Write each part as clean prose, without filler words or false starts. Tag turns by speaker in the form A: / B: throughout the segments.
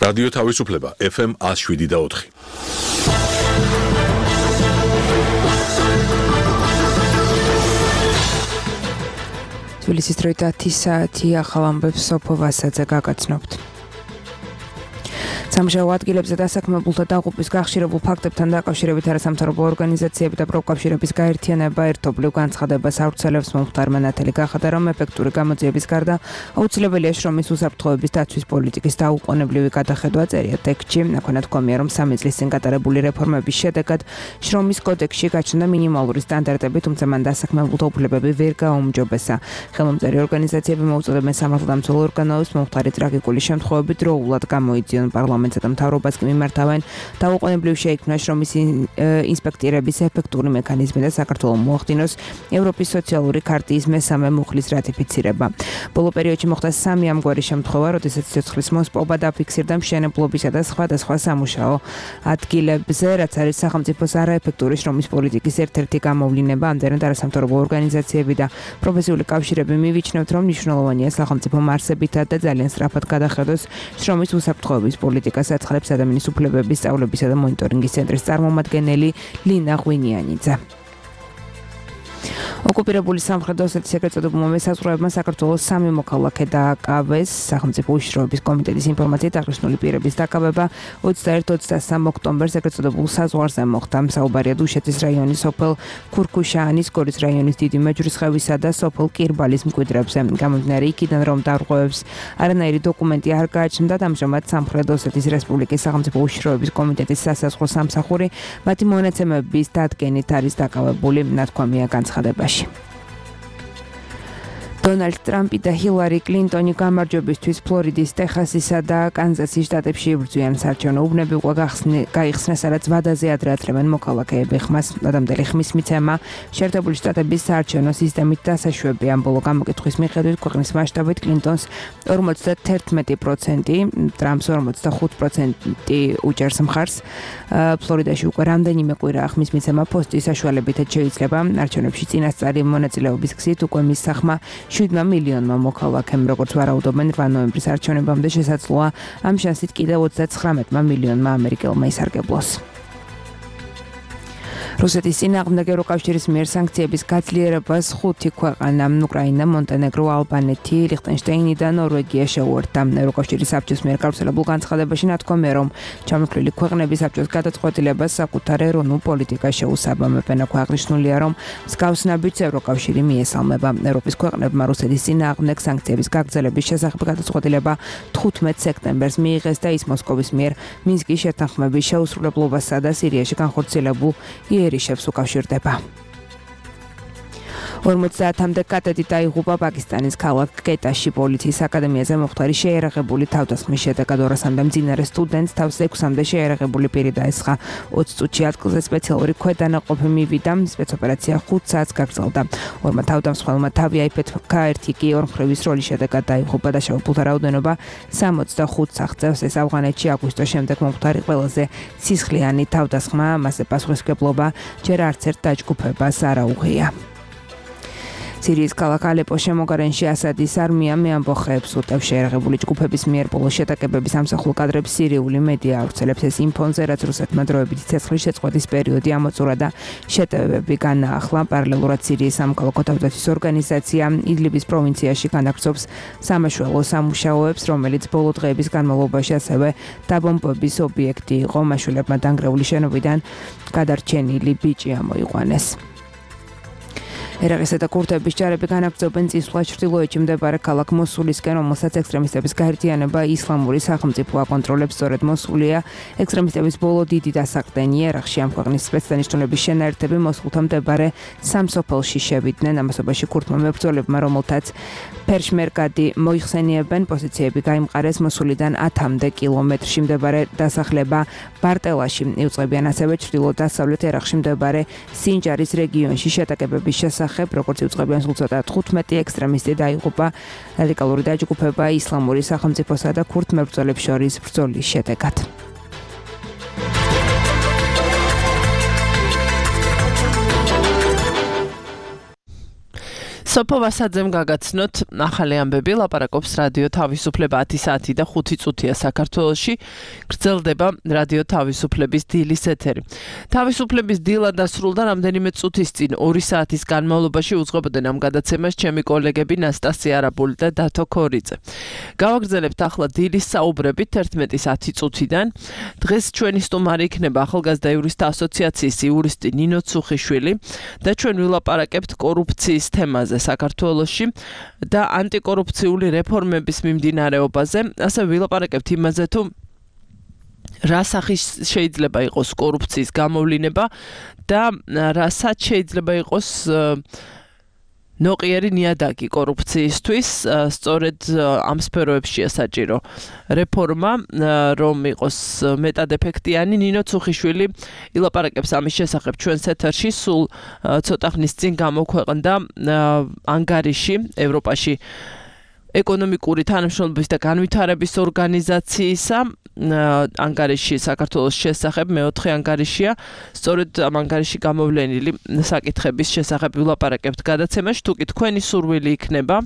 A: რადიო თავისუფლება FM 107.4.
B: თბილისის დროით 10 საათი ახალ ამბებს სოფო ვასაძე გაგაცნობთ. სამუშაო ადგილებზე დასაქმებულთა დაღუპვის გახშირებულ ფაქტებთან დაკავშირებით არასამთავრობო ორგანიზაციები და პროფკავშირების გაერთიანება ერთობლივ განცხადებას ავრცელებს. მომხდარმა ნათელი გახადა, რომ ეფექტური გამოძიების გარდა აუცილებელია შრომის უსაფრთხოების დაცვის პოლიტიკის დაუყოვნებლივი გადახედვა. წერია ტექსტში, აქვენა თქვამია, რომ 3 წლის წინ გატარებული რეფორმების შედეგად შრომის კოდექსში გაჩნდა მინიმალური სტანდარტები, თუმცა მან დასაქმებულთა უფლებები ვერ გააუმჯობესა. ხელმომწერი ორგანიზაციები მოუწოდებენ სამართალდამცავ ორგანოებს მომხდარი ტრაგიკული შემთხვევები დროულად გამოიძიონ პარლამენტს და მთავრობას კი მიმართავენ დაუყოვნებლივ შეიქმნა შრომის ინსპექტირების ეფექტური მექანიზმი და საქართველოს მოახდინოს ევროპის სოციალური ქარტიის მესამე მუხლის რატიფიცირება. ბოლო პერიოდში მოხდა 3 ამგვარი შემთხვევა, როდესაც ცოცხლის მოსპობა დაფიქსირდა მშენებლობისა და სხვადასხვა სამუშაო ადგილებზე, რაც არის სახელმწიფოს არაეფექტური შრომის პოლიტიკის ერთ-ერთი გამოვლინება. ამდენად არასამთავრობო ორგანიზაციები და პროფესიული კავშირები მივიჩნევთ, რომ მნიშვნელოვანია სახელმწიფო მარსებითად და ძალიან სწრაფად გადახედოს შრომის უსაფრთხოების პოლიტიკას. აცხადებს ადამიანის უფლებების სწავლებისა და მონიტორინგის ცენტრის წარმომადგენელი ლინა ღვინიანიძე. ოკუპირებული სამხრეთ ოსეთის ეგრეთ წოდებულმა მესაზღვრეებმა საქართველოს 3 მოქალაქე დააკავეს. სახელმწიფო უშიშროების კომიტეტის ინფორმაციით აღნიშნული პირების დაკავება 21-23 ოქტომბერს ეგრეთ წოდებულ საზღვარზე მოხდა. საუბარია დუშეთის რაიონის სოფელ ქურქუშაანის, გორის რაიონის დიდი მეჯვრისხევისა და სოფელ კირბალის მკვიდრებზე. გამომდინარე იქიდან, რომ დარღვევებს არანაირი დოკუმენტი არ გააჩნდათ, ამჟამად სამხრეთ ოსეთის რესპუბლიკის სახელმწიფო უშიშროების კომიტეტის სასაზღვრო სამსახური მათი მონაცემების დადგენით არის დაკავებული, ნათქვამია განცხადებაში. დონალდ ტრამპი და ჰილარი კლინტონი გამარჯვებისთვის ფლორიდის, ტეხასისა და კანზასის შტატებში იბრძვიან. საარჩევნო უბნები უკვე გაიხსნეს, სადაც ვადაზე ადრე ათრევენ მოქალაქეები. ხმას ადამდელი ხმის მიცემა შეერთებული შტატების საარჩევნო სისტემით დასაშვებია. ბოლო გამოკითხვის მიხედვით ქვეყნის მასშტაბით კლინტონს 51%, ტრამპს 45% უჭერს მხარს. ფლორიდაში უკვე რამდენიმე კვირაა ხმის მიცემა პოსტის საშუალებითაც შეიძლება. არჩევნებში წინასწარი მონაწილეობის გზით უკვე მის სახმა 7 მილიონმა მოქალაქემ, როგორც ვარაუდობენ 8 ნოემბრის არჩევნებამდე შესაძლოა ამ შანსით კიდევ 39 მილიონმა ამერიკელმა ისარგებლოს. რუსეთის წინააღმდეგ ევროკავშირის მიერ სანქციების გაძლიერებას 5 ქვეყანა უკრაინა, მონტენეგრო, ალბანეთი, ლიხტენშტეინი და ნორვეგია შეუერთდა. ევროკავშირის საბჭოს მიერ გავრცელებულ განცხადებაში ნათქვამია, რომ ჩამოთვლილი ქვეყნები საბჭოს გადაწყვეტილებას საკუთარ ეროვნულ პოლიტიკას შეუსაბამებენ. აქ აღნიშნულია, რომ მსგავს ნაბიჯს ევროკავშირი მიესალმება. ევროპის ქვეყნებმა რუსეთის წინააღმდეგ სანქციების გაგრძელების შესახებ გადაწყვეტილება 15 სექტემბერს მიიღეს და ის მოსკოვის მიერ მინსკის შეთანხმების შეუსრულებლობასა და სირიაში განხორციელებულ იერიშებს უკავშირდება. 50-მდე კადეტი დაიღუპა პაკისტანის ქალაქ კეტაში. პოლიციის აკადემიაზე მომხდარი შეიარაღებული თავდასხმის შედეგად 200-მდე მძინარე სტუდენტს თავს 6-მდე შეიარაღებული პირი დაესხა. 20 წუთში ადგილზე სპეციალური ქვედანაყოფი მივიდა. სპეცოპერაცია 5 საათს გაგრძელდა. ორმა თავდამსხმელმა თავი აიფეთქა, ერთი კი ორმხრივის როლის შედეგად დაიღუპა და შეუპულთა რაოდენობა 65 აღწევს. ეს ავღანეთში აგვისტოს შემდეგ მომხდარი ყველაზე სისხლიანი თავდასხმა, მასზე პასუხისმგებლობა ჯერ არც ერთ დაჯგუფებას არ აუღია. სირიის ქალაქ ალეპოს შემოგარენში ასადის არმიამ მეამბოხეებს უტევს. შეიარაღებული ჯგუფების მიერ ბოლო შეტაკებების ამსახველ კადრებს სირიული მედია ავრცელებს. ეს იმ ფონზე, რაც რუსეთმა დროებითი ცეცხლის შეწყვეტის პერიოდი ამოწურა და შეტევები განაახლა. პარალელურად სირიის სამოქალაქო თავდაცვის ორგანიზაცია იდლიბის პროვინციაში განაგრძობს სამაშველო სამუშაოებს, რომელიც ბოლო დღეების განმავლობაში ასევე დაბომბების ობიექტი იყო. მაშველებმა დანგრეული შენობიდან გადარჩენილი ბიჭი ამოიყვანეს. ერაყისა და კურდების ჯარები განაგრძობენ წინსვლა ჩრდილოეთში მდებარე ქალაქ მოსულისკენ, რომელსაც ექსტრემისტების გაერთიანება ისლამური სახელმწიფო აკონტროლებს. სწორედ მოსულია ექსტრემისტების ბოლო დიდი დასაყრდენი. ერაყში ამ ქვეყნის სპეცდანიშნულების შენაერთები მოსულთან მდებარე სამსოფელში შევიდნენ. ამასობაში ქურთმა მებრძოლებმა, რომელთაც ფერშმერგადი მოიხსენიებენ, პოზიციები გაიმყარეს მოსულიდან 10-მდე კილომეტრში მდებარე დასახლება ბარტელაში. იუწყებიან ასევე ჩრდილო-დასავლეთ ერაყში მდებარე სინჯარის რეგიონში შეტაკებების შესახებ, როგორც იუწყებიან სულ ცოტა 15 ექსტრემისტი დაიღუპა რადიკალური დაჯგუფება ისლამური სახელმწიფოსა და ქურთ მებრძოლებს შორის ბრძოლის შედეგად.
C: სოფო ვასაძემ გაგაცნოთ ახალი ამბები, ლაპარაკობს რადიო თავისუფლება 10 საათი და 5 წუთია საქართველოში. გრძელდება რადიო თავისუფლების დილის ეთერი. თავისუფლების დილა დასრულდა რამდენიმე წუთის წინ 2 საათის განმავლობაში უძღვებოდნენ ამ გადაცემას ჩემი კოლეგები ნასტასია არაბული და დათო ქორიძე. გავაგრძელებთ ახლა დილის საუბრებით 11:10 წუთიდან. დღეს ჩვენი სტუმარი იქნება ახალგაზრდა იურისტთა ასოციაციის იურისტი ნინო ცუხიშვილი და ჩვენ ვილაპარაკებთ კორუფციის თემაზე საქართველოში და ანტიკორუფციული რეფორმების მიმდინარეობაზე. ასე ვილაპარაკებთ იმაზე თუ რა სახის შეიძლება იყოს კორუფციის გამოვლინება და რასაც შეიძლება იყოს ნოყიერი ნიადაგი კორუფციისთვის, სწორედ ამ სფეროებშია საჭირო რეფორმა, რომ იყოს მეტად ეფექტიანი. ნინო ცუხიშვილი ილაპარაკებს ამის შესახებ ჩვენს ეთერში, სულ ცოტა ხნის წინ გამოქვეყნდა ანგარიში ევროპაში ეკონომიკური თანამშრომლობის და განვითარების ორგანიზაციისა ანგარიში საქართველოს შესახებ მეოთხე ანგარიშია. სწორედ ამ ანგარიში გამოვლენილი საკითხების შესახებ ვილაპარაკებთ გადაცემაში. თუ კი თქვენი სურვილი იქნება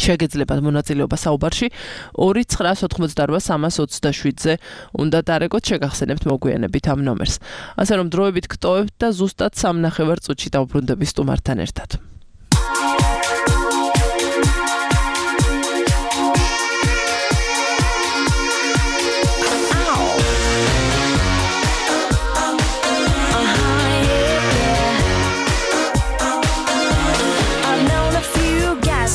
C: შეგეძლებათ მონაწილეობა საუბარში 2-988-327-ზე უნდა დარეგოთ, შეგახსენებთ მოგვიანებით ამ ნომერს. ასე რომ დროებით გტოვებთ და ზუსტად 3.5 წუთში დავბრუნდები სტუმართან ერთად.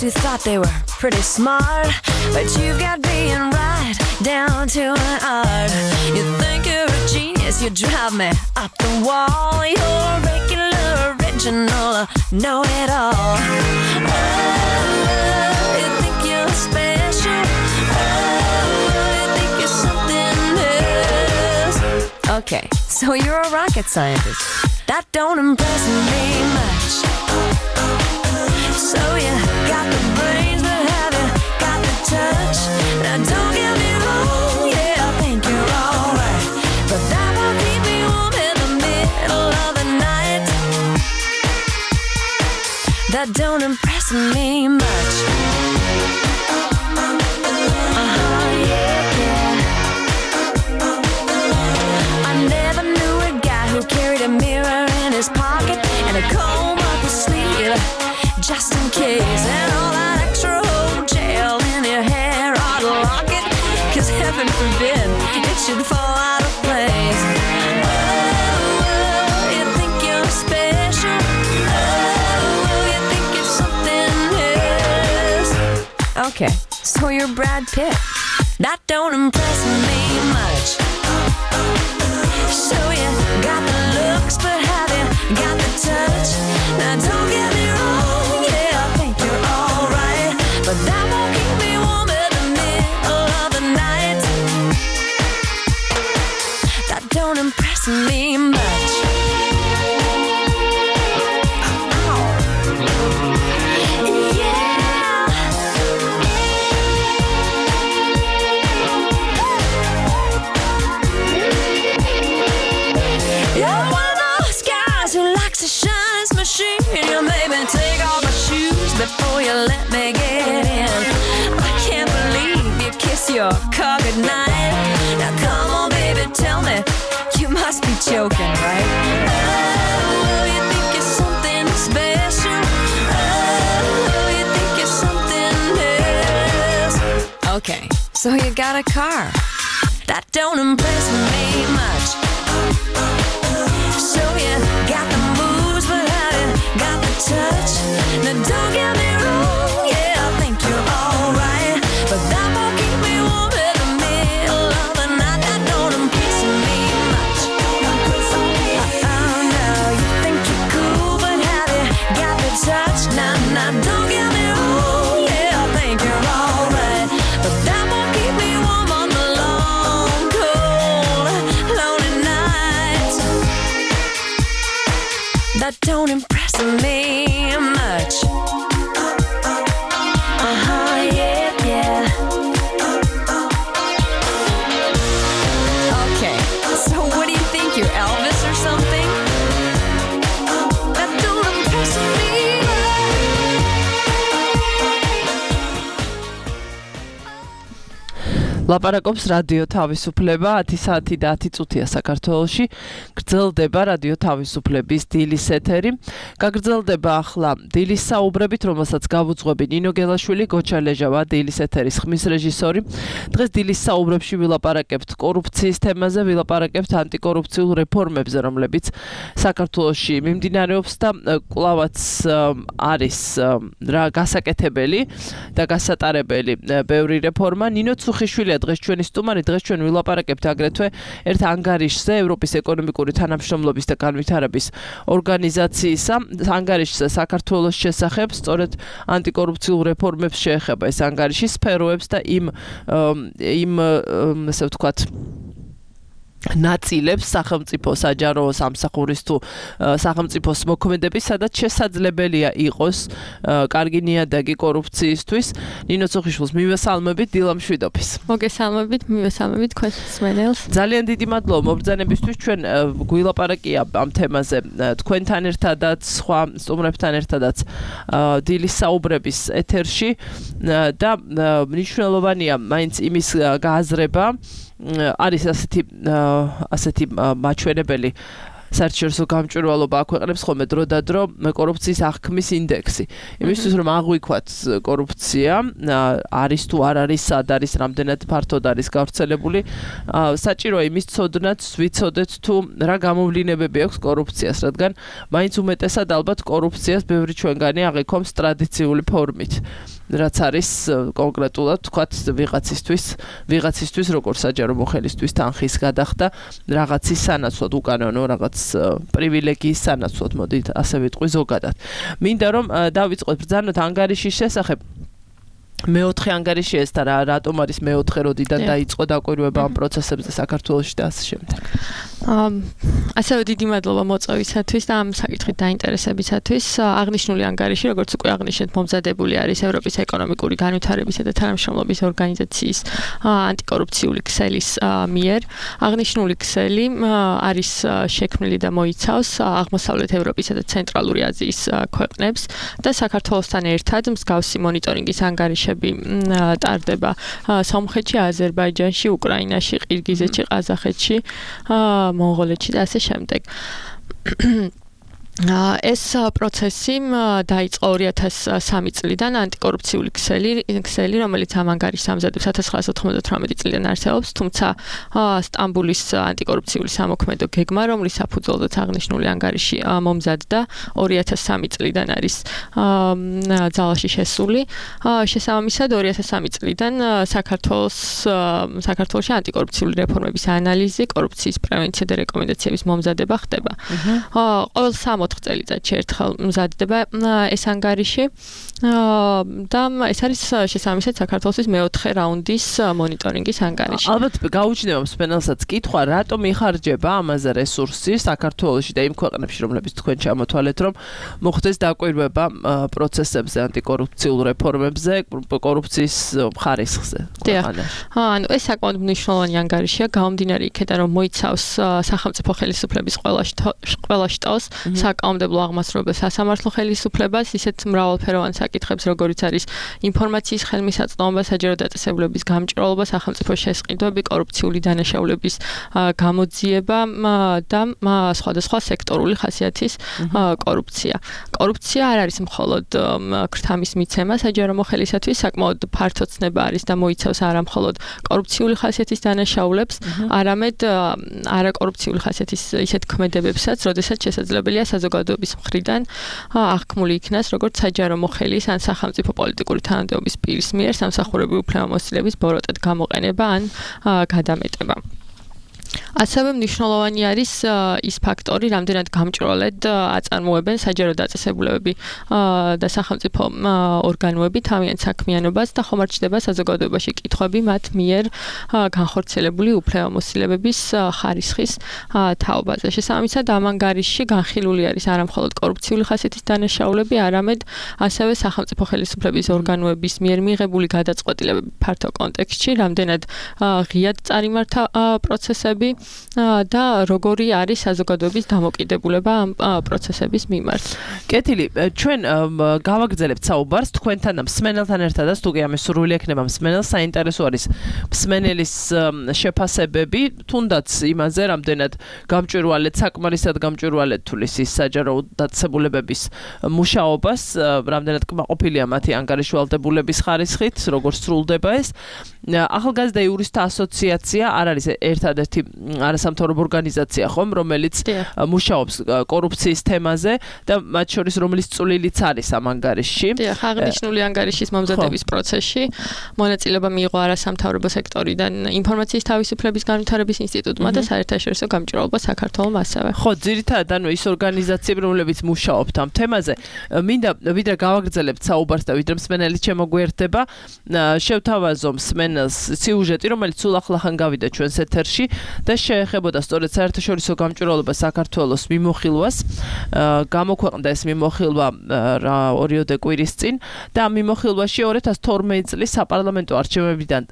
D: Who thought they were pretty smart, but you've got being right down to an art. You think you're a genius, you drive me up the wall. You're regular, original, know it all. Oh, you think you're special. Oh, you think you're something else. Okay, so you're a rocket scientist. That don't impress me much. So you got the brains, but have you got the touch? Now don't get me wrong, yeah, I think you're alright, but that won't keep me warm in the middle of the night. That don't impress me much. Yeah. I never knew a guy who carried a mirror in his pocket and a comb up his sleeve, just in case, and all that extra old gel in your hair ought to lock it, 'cause heaven forbid it should fall out of place. Oh, you think you're special. Oh, you think you're something else. Okay, so you're Brad Pitt. That don't impress me much. So you got the looks, but have you got the touch? Now don't get me wrong, but that won't keep me warm in the middle of the night. That don't impress me much. Yeah. You're one of those guys who likes to shine machine. You made me take off my shoes before you let me get in. I can't believe you kiss your car goodnight. Now come on, baby, tell me, you must be joking, right? Oh, you think you're something special. Oh, you think you're something else. Okay, so you got a car. That don't impress me much. So you got the moves, but have you got the touch? Now don't get me wrong, yeah, I think you're alright, but that won't keep me warm in the middle of the night. That don't impress me much. Oh no, you think you're cool, but have you got the touch? Now don't get me wrong, yeah, I think you're alright, but that won't keep me warm on the long, cold, lonely nights. That don't impress me much. Yeah, yeah. Okay, so what do you think? You're Elvis or something? That don't impress me much.
C: ლაპარაკობს რადიო თავისუფლება 10 საათი და 10 წუთია საქართველოში. გრძელდება რადიო თავისუფლების დილის ეთერი. გაგრძელდება ახლა დილის საუბრებით, რომელსაც გავუძღვები ნინო გელაშვილი, გოჩა ლეჟავა, დილის ეთერის ხმის რეჟისორი. დღეს დილის საუბრებში ვილაპარაკებთ კორუფციის თემაზე, ვილაპარაკებთ ანტიკორუფციულ რეფორმებზე, რომლებიც საქართველოში მიმდინარეობს და კვლავაც არის რა გასაკეთებელი და გასატარებელი ბევრი რეფორმა. ნინო ცუხიშვილი დღეს ჩვენი სტუმარი, დღეს ჩვენ ვილაპარაკებთ აგრეთვე ერთ ანგარიშზე, ევროპის ეკონომიკური თანამშრომლობის და განვითარების ორგანიზაციისა ანგარიშზე საქართველოს შესახებ, სწორედ ანტიკორუფციულ რეფორმებს შეეხება ეს ანგარიში სფეროებს და იმ ასე ვთქვათ ნაწილებს სახელმწიფო საჯარო სამსახურის თუ სახელმწიფოს მოქმედების, სადაც შესაძლებელია იყოს კარგი ნიადაგი კორუფციისთვის. ნინო ცუხიშვილს მივესალმებით, დილა მშვიდობის.
E: მოგესალმებით, მივესალმებით თქვენს მსმენელს.
C: ძალიან დიდი მადლობა მობრძანებისთვის. ჩვენ გვილაპარაკია ამ თემაზე თქვენთან ერთადაც, სხვა სტუმრებთან ერთადაც დილის საუბრების ეთერში და მნიშვნელოვანია მაინც იმის გააზრება. არის ასეთი მაჩვენებელი საერთაშორისო გამჭვირვალობა აქვეყნებს ხოლმე დრო და დრო კორუფციის აღქმის ინდექსი. იმისთვის რომ აღვიქვათ კორუფცია არის თუ არ არის, სად არის, რამდენად ფართოდ არის გავრცელებული, საჭიროა იმის ცოდნაც ვიცოდეთ თუ რა გამოვლინებები აქვს კორუფციას, რადგან მაინც უმეტესად ალბათ კორუფციას ბევრი ჩვენგანი აღიქვამს ტრადიციული ფორმით. რაც არის კონკრეტულად თქვათ ვიღაცისთვის როგორც საჯარო მოხელისთვის თანხის გადახდა რაღაცის სანაცვლოდ, უკანონო რაღაც პრივილეგიის სანაცვლოდ, მოდით ასე ვიტყვი ზოგადად. მინდა რომ დავიწყოთ ბრძანოთ ანგარიშის შესახებ. მეოთხე ანგარიში ეს და რატომ არის მეოთხე, როდიდან დაიწყო დაკვირვება ამ პროცესებზე საქართველოში და ასე შემდეგ.
E: ასევე დიდი მადლობა მოწვევისათვის და ამ საკითხით დაინტერესებისათვის. აღნიშნული ანგარიში, როგორც უკვე აღნიშნეთ, მომზადებული არის ევროპის ეკონომიკური განვითარებისა და თანამშრომლობის ორგანიზაციის ანტიკორუფციული ქსელის მიერ. აღნიშნული ქსელი არის შექმნილი და მოიცავს აღმოსავლეთ ევროპისა და ცენტრალური აზიის ქვეყნებს და საქართველოსთან ერთად მსგავსი მონიტორინგის ანგარიშები ტარდება სომხეთში, აზერბაიჯანში, უკრაინაში, ყირგიზეთში, ყაზახეთში, მონღოლეთში და ასე შემდეგ. ეს პროცესი დაიწყო 2003 წლიდან ანტიკორუფციული ქსელი, რომელიც ამ ანგარიშს ამზადებს 1998 წლიდან არსებობს, თუმცა სტამბულის ანტიკორუფციული სამოქმედო გეგმა, რომლის საფუძველზეც აღნიშნული ანგარიში მომზადდა, 2003 წლიდან არის ძალაში შესული. შესაბამისად 2003 წლიდან საქართველოში ანტიკორუფციული რეფორმების ანალიზი, კორუფციის პრევენცია და რეკომენდაციების მომზადება ხდება. ყოველ 4 წელიწადში ერთხელ მზადდება ეს ანგარიში და ეს არის შესაბამისად საქართველოს მეოთხე რაუნდის მონიტორინგის ანგარიში.
C: ალბათ გაუჩნდება მსმენელსაც კითხვა, რატომ იხარჯება ამაზე რესურსი საქართველოში და იმ ქვეყნებში, რომლებიც თქვენ ჩამოთვალეთ, რომ მოხდეს დაკვირვება პროცესებზე, ანტიკორუფციულ რეფორმებზე, კორუფციის ხარისხზე.
E: ანუ ეს საკმაოდ მნიშვნელოვანი ანგარიშია, გამომდინარე იქედან, რომ მოიცავს სახელმწიფო ხელისუფლების ყველა შტოს, საკანონმდებლო აღმასრულებელ სასამართლო ხელისუფლებას, ისეთ მრავალფეროვან საკითხებს, როგორიც არის ინფორმაციის ხელმისაწვდომობა, საჯარო დაწესებულების გამჭვირვალობა, სახელმწიფო შესყიდვები, კორუფციული დანაშაულების გამოძიება და სხვადასხვა სექტორული ხასიათის კორუფცია. კორუფცია არ არის მხოლოდ ქრთამის მიცემა საჯარო მოხელისათვის, საკმაოდ ფართო ცნება არის და მოიცავს არა მხოლოდ კორუფციული ხასიათის დანაშაულებს, არამედ არაკორუფციული ხასიათის ისეთ ქმედებებსაც, როდესაც შესაძლებელია საზოგადოების მხრიდან აღქმული იქნას როგორც საჯარო მოხელის ან სახელმწიფო პოლიტიკური თანამდებობის პირის მიერ სამსახურებრივი უფლებამოსილების ბოროტად გამოყენება ან გადამეტება. ასევე მნიშვნელოვანი არის ის ფაქტორი, რამდენად გამჭვირვალედ აწარმოებენ საჯარო დაწესებულებები და სახელმწიფო ორგანოები თავიანთ საქმიანობას და ხომ არ ჩნდება საზოგადოებაში კითხვები მათ მიერ განხორციელებული უფლებამოსილებების ხარისხის თაობაზე. შესაბამისად, ამ ანგარიშში განხილული არის არა მხოლოდ კორუფციული ხასიათის დანაშაულები, არამედ ასევე სახელმწიფო ხელისუფლების ორგანოების მიერ მიღებული გადაწყვეტილებები ფართო კონტექსტში, რამდენად ღიად წარიმართა პროცესები პროცესები და როგორი არის საზოგადოების დამოკიდებულება ამ პროცესების მიმართ.
C: კეთილი, ჩვენ გავაგრძელებთ საუბარს თქვენთან და მსმენელთან ერთად და სტუდია მსურვილი ექნება მსმენელს საინტერესო არის მსმენელის შეფასებები, თუნდაც იმაზე, რამდენად გამჭვირვალედ, საკმარისად გამჭვირვალედ თulis ის საჯარო დაწესებულებების მუშაობას, რამდენად კმაყოფილია მათი ანგარიშვალდებულების ხარისხით, როგორ სრულდება ეს. ახალგაზრდა იურისტთა ასოციაცია არ არის ერთადერთი არასამთავრობო ორგანიზაცია, ხომ, რომელიც მუშაობს კორუფციის თემაზე და მათ შორის რომლის წვლილიც არის ამ ანგარიშში.
E: დიახ, აღნიშნული ანგარიშის მომზადების პროცესში მონაწილეობა მიიღო არასამთავრობო სექტორიდან ინფორმაციის თავისუფლების განვითარების ინსტიტუტმა და საერთაშორისო გამჭვირვალობა საქართველოს ასევე.
C: ხო, ძირითადად ანუ ის ორგანიზაციები, რომლებიც მუშაობთ ამ თემაზე, მინდა ვიდრე გავაგრძელებთ საუბარს და ვიდრე მსმენელი შემოგვიერთდება, შევთავაზო მსმენელს სიუჟეტი, რომელიც სულ ახლახან გავიდა ჩვენს ეთერში და შეეხებოდა სწორედ საერთაშორისო გამჭვირვალობა საქართველოს მიმოხილვას. გამოქვეყნდა ეს მიმოხილვა 2 კვირის წინ და ამ მიმოხილვაში 2012 წლის საპარლამენტო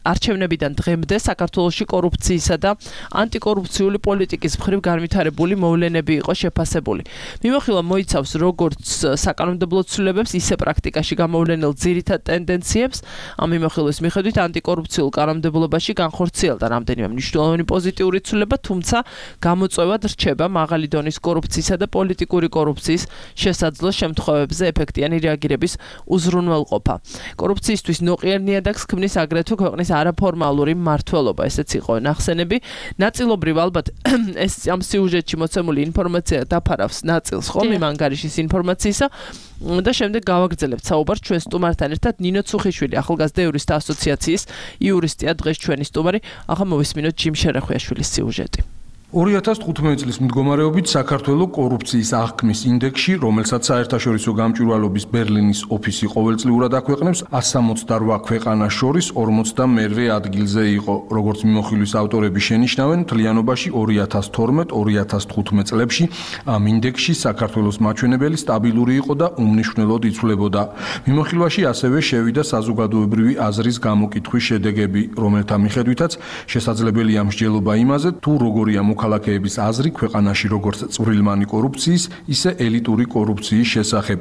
C: არჩევნებიდან დღემდე საქართველოში კორუფციისა და ანტიკორუფციული პოლიტიკის მხრივ განვითარებული მოვლენები იყო შეფასებული. მიმოხილვა მოიცავს როგორც საკანონმდებლო ცვლილებებს, ისე პრაქტიკაში გამოვლენილ ძირითად ტენდენციებს. ამ მიმოხილვის მიხედვით ანტიკორუფციულ კანონმდებლობაში განხორციელდა რამდენიმე მნიშვნელოვანი პოზიტიური ცვლილება, თუმცა გამოწვევად რჩება მაღალი დონის კორუფციისა და პოლიტიკური კორუფციის შესაძლო შემთხვევებზე ეფექტიანი რეაგირების უზრუნველყოფა. კორუფციისთვის ნოყიერ ნიადაგს ქმნის აგრეთვე ქვეყნის არაფორმალური მმართველობა, ესეც იყო ნახსენები. ნაწილობრივ ალბათ ეს ამ სიუჟეტში მოცემული ინფორმაცია დაფარავს ნაწილს, ხომ, იმ ანგარიშის ინფორმაციისა და შემდეგ გავაგრძელებთ საუბარს ჩვენ სტუმართან ერთად. ნინო ცუხიშვილი, ახალგაზრდა იურისტთა ასოციაციის იურისტია, დღეს ჩვენი სტუმარი. ახლა მოვისმინოთ ჯიმ შერახვიაშვილის სიუჟეტი.
F: 2015 წლის მდგომარეობით საქართველოს კორუფციის აღქმის ინდექსში, რომელსაც საერთაშორისო გამჭვირვალობის ბერლინის ოფისი ყოველწლიურად აქვეყნებს, 168 ქვეყანას შორის 42-მე ადგილზე იყო. როგორც მიმოხილვის ავტორები შენიშნავენ, მთლიანობაში 2012-2015 წლებში ამ ინდექსში საქართველოს მაჩვენებელი სტაბილური იყო და უმნიშვნელოდ იცვლებოდა. მიმოხილვაში ასევე შევიდა საზოგადოებრივი აზრის გამოკითხვის შედეგები, რომელთა მიხედვითაც შესაძლებელია მსჯელობა იმაზე, თუ როგორია მოქალაქეების აზრი ქვეყანაში როგორც წვრილმანი კორუფციის, ისე ელიტური კორუფციის შესახებ.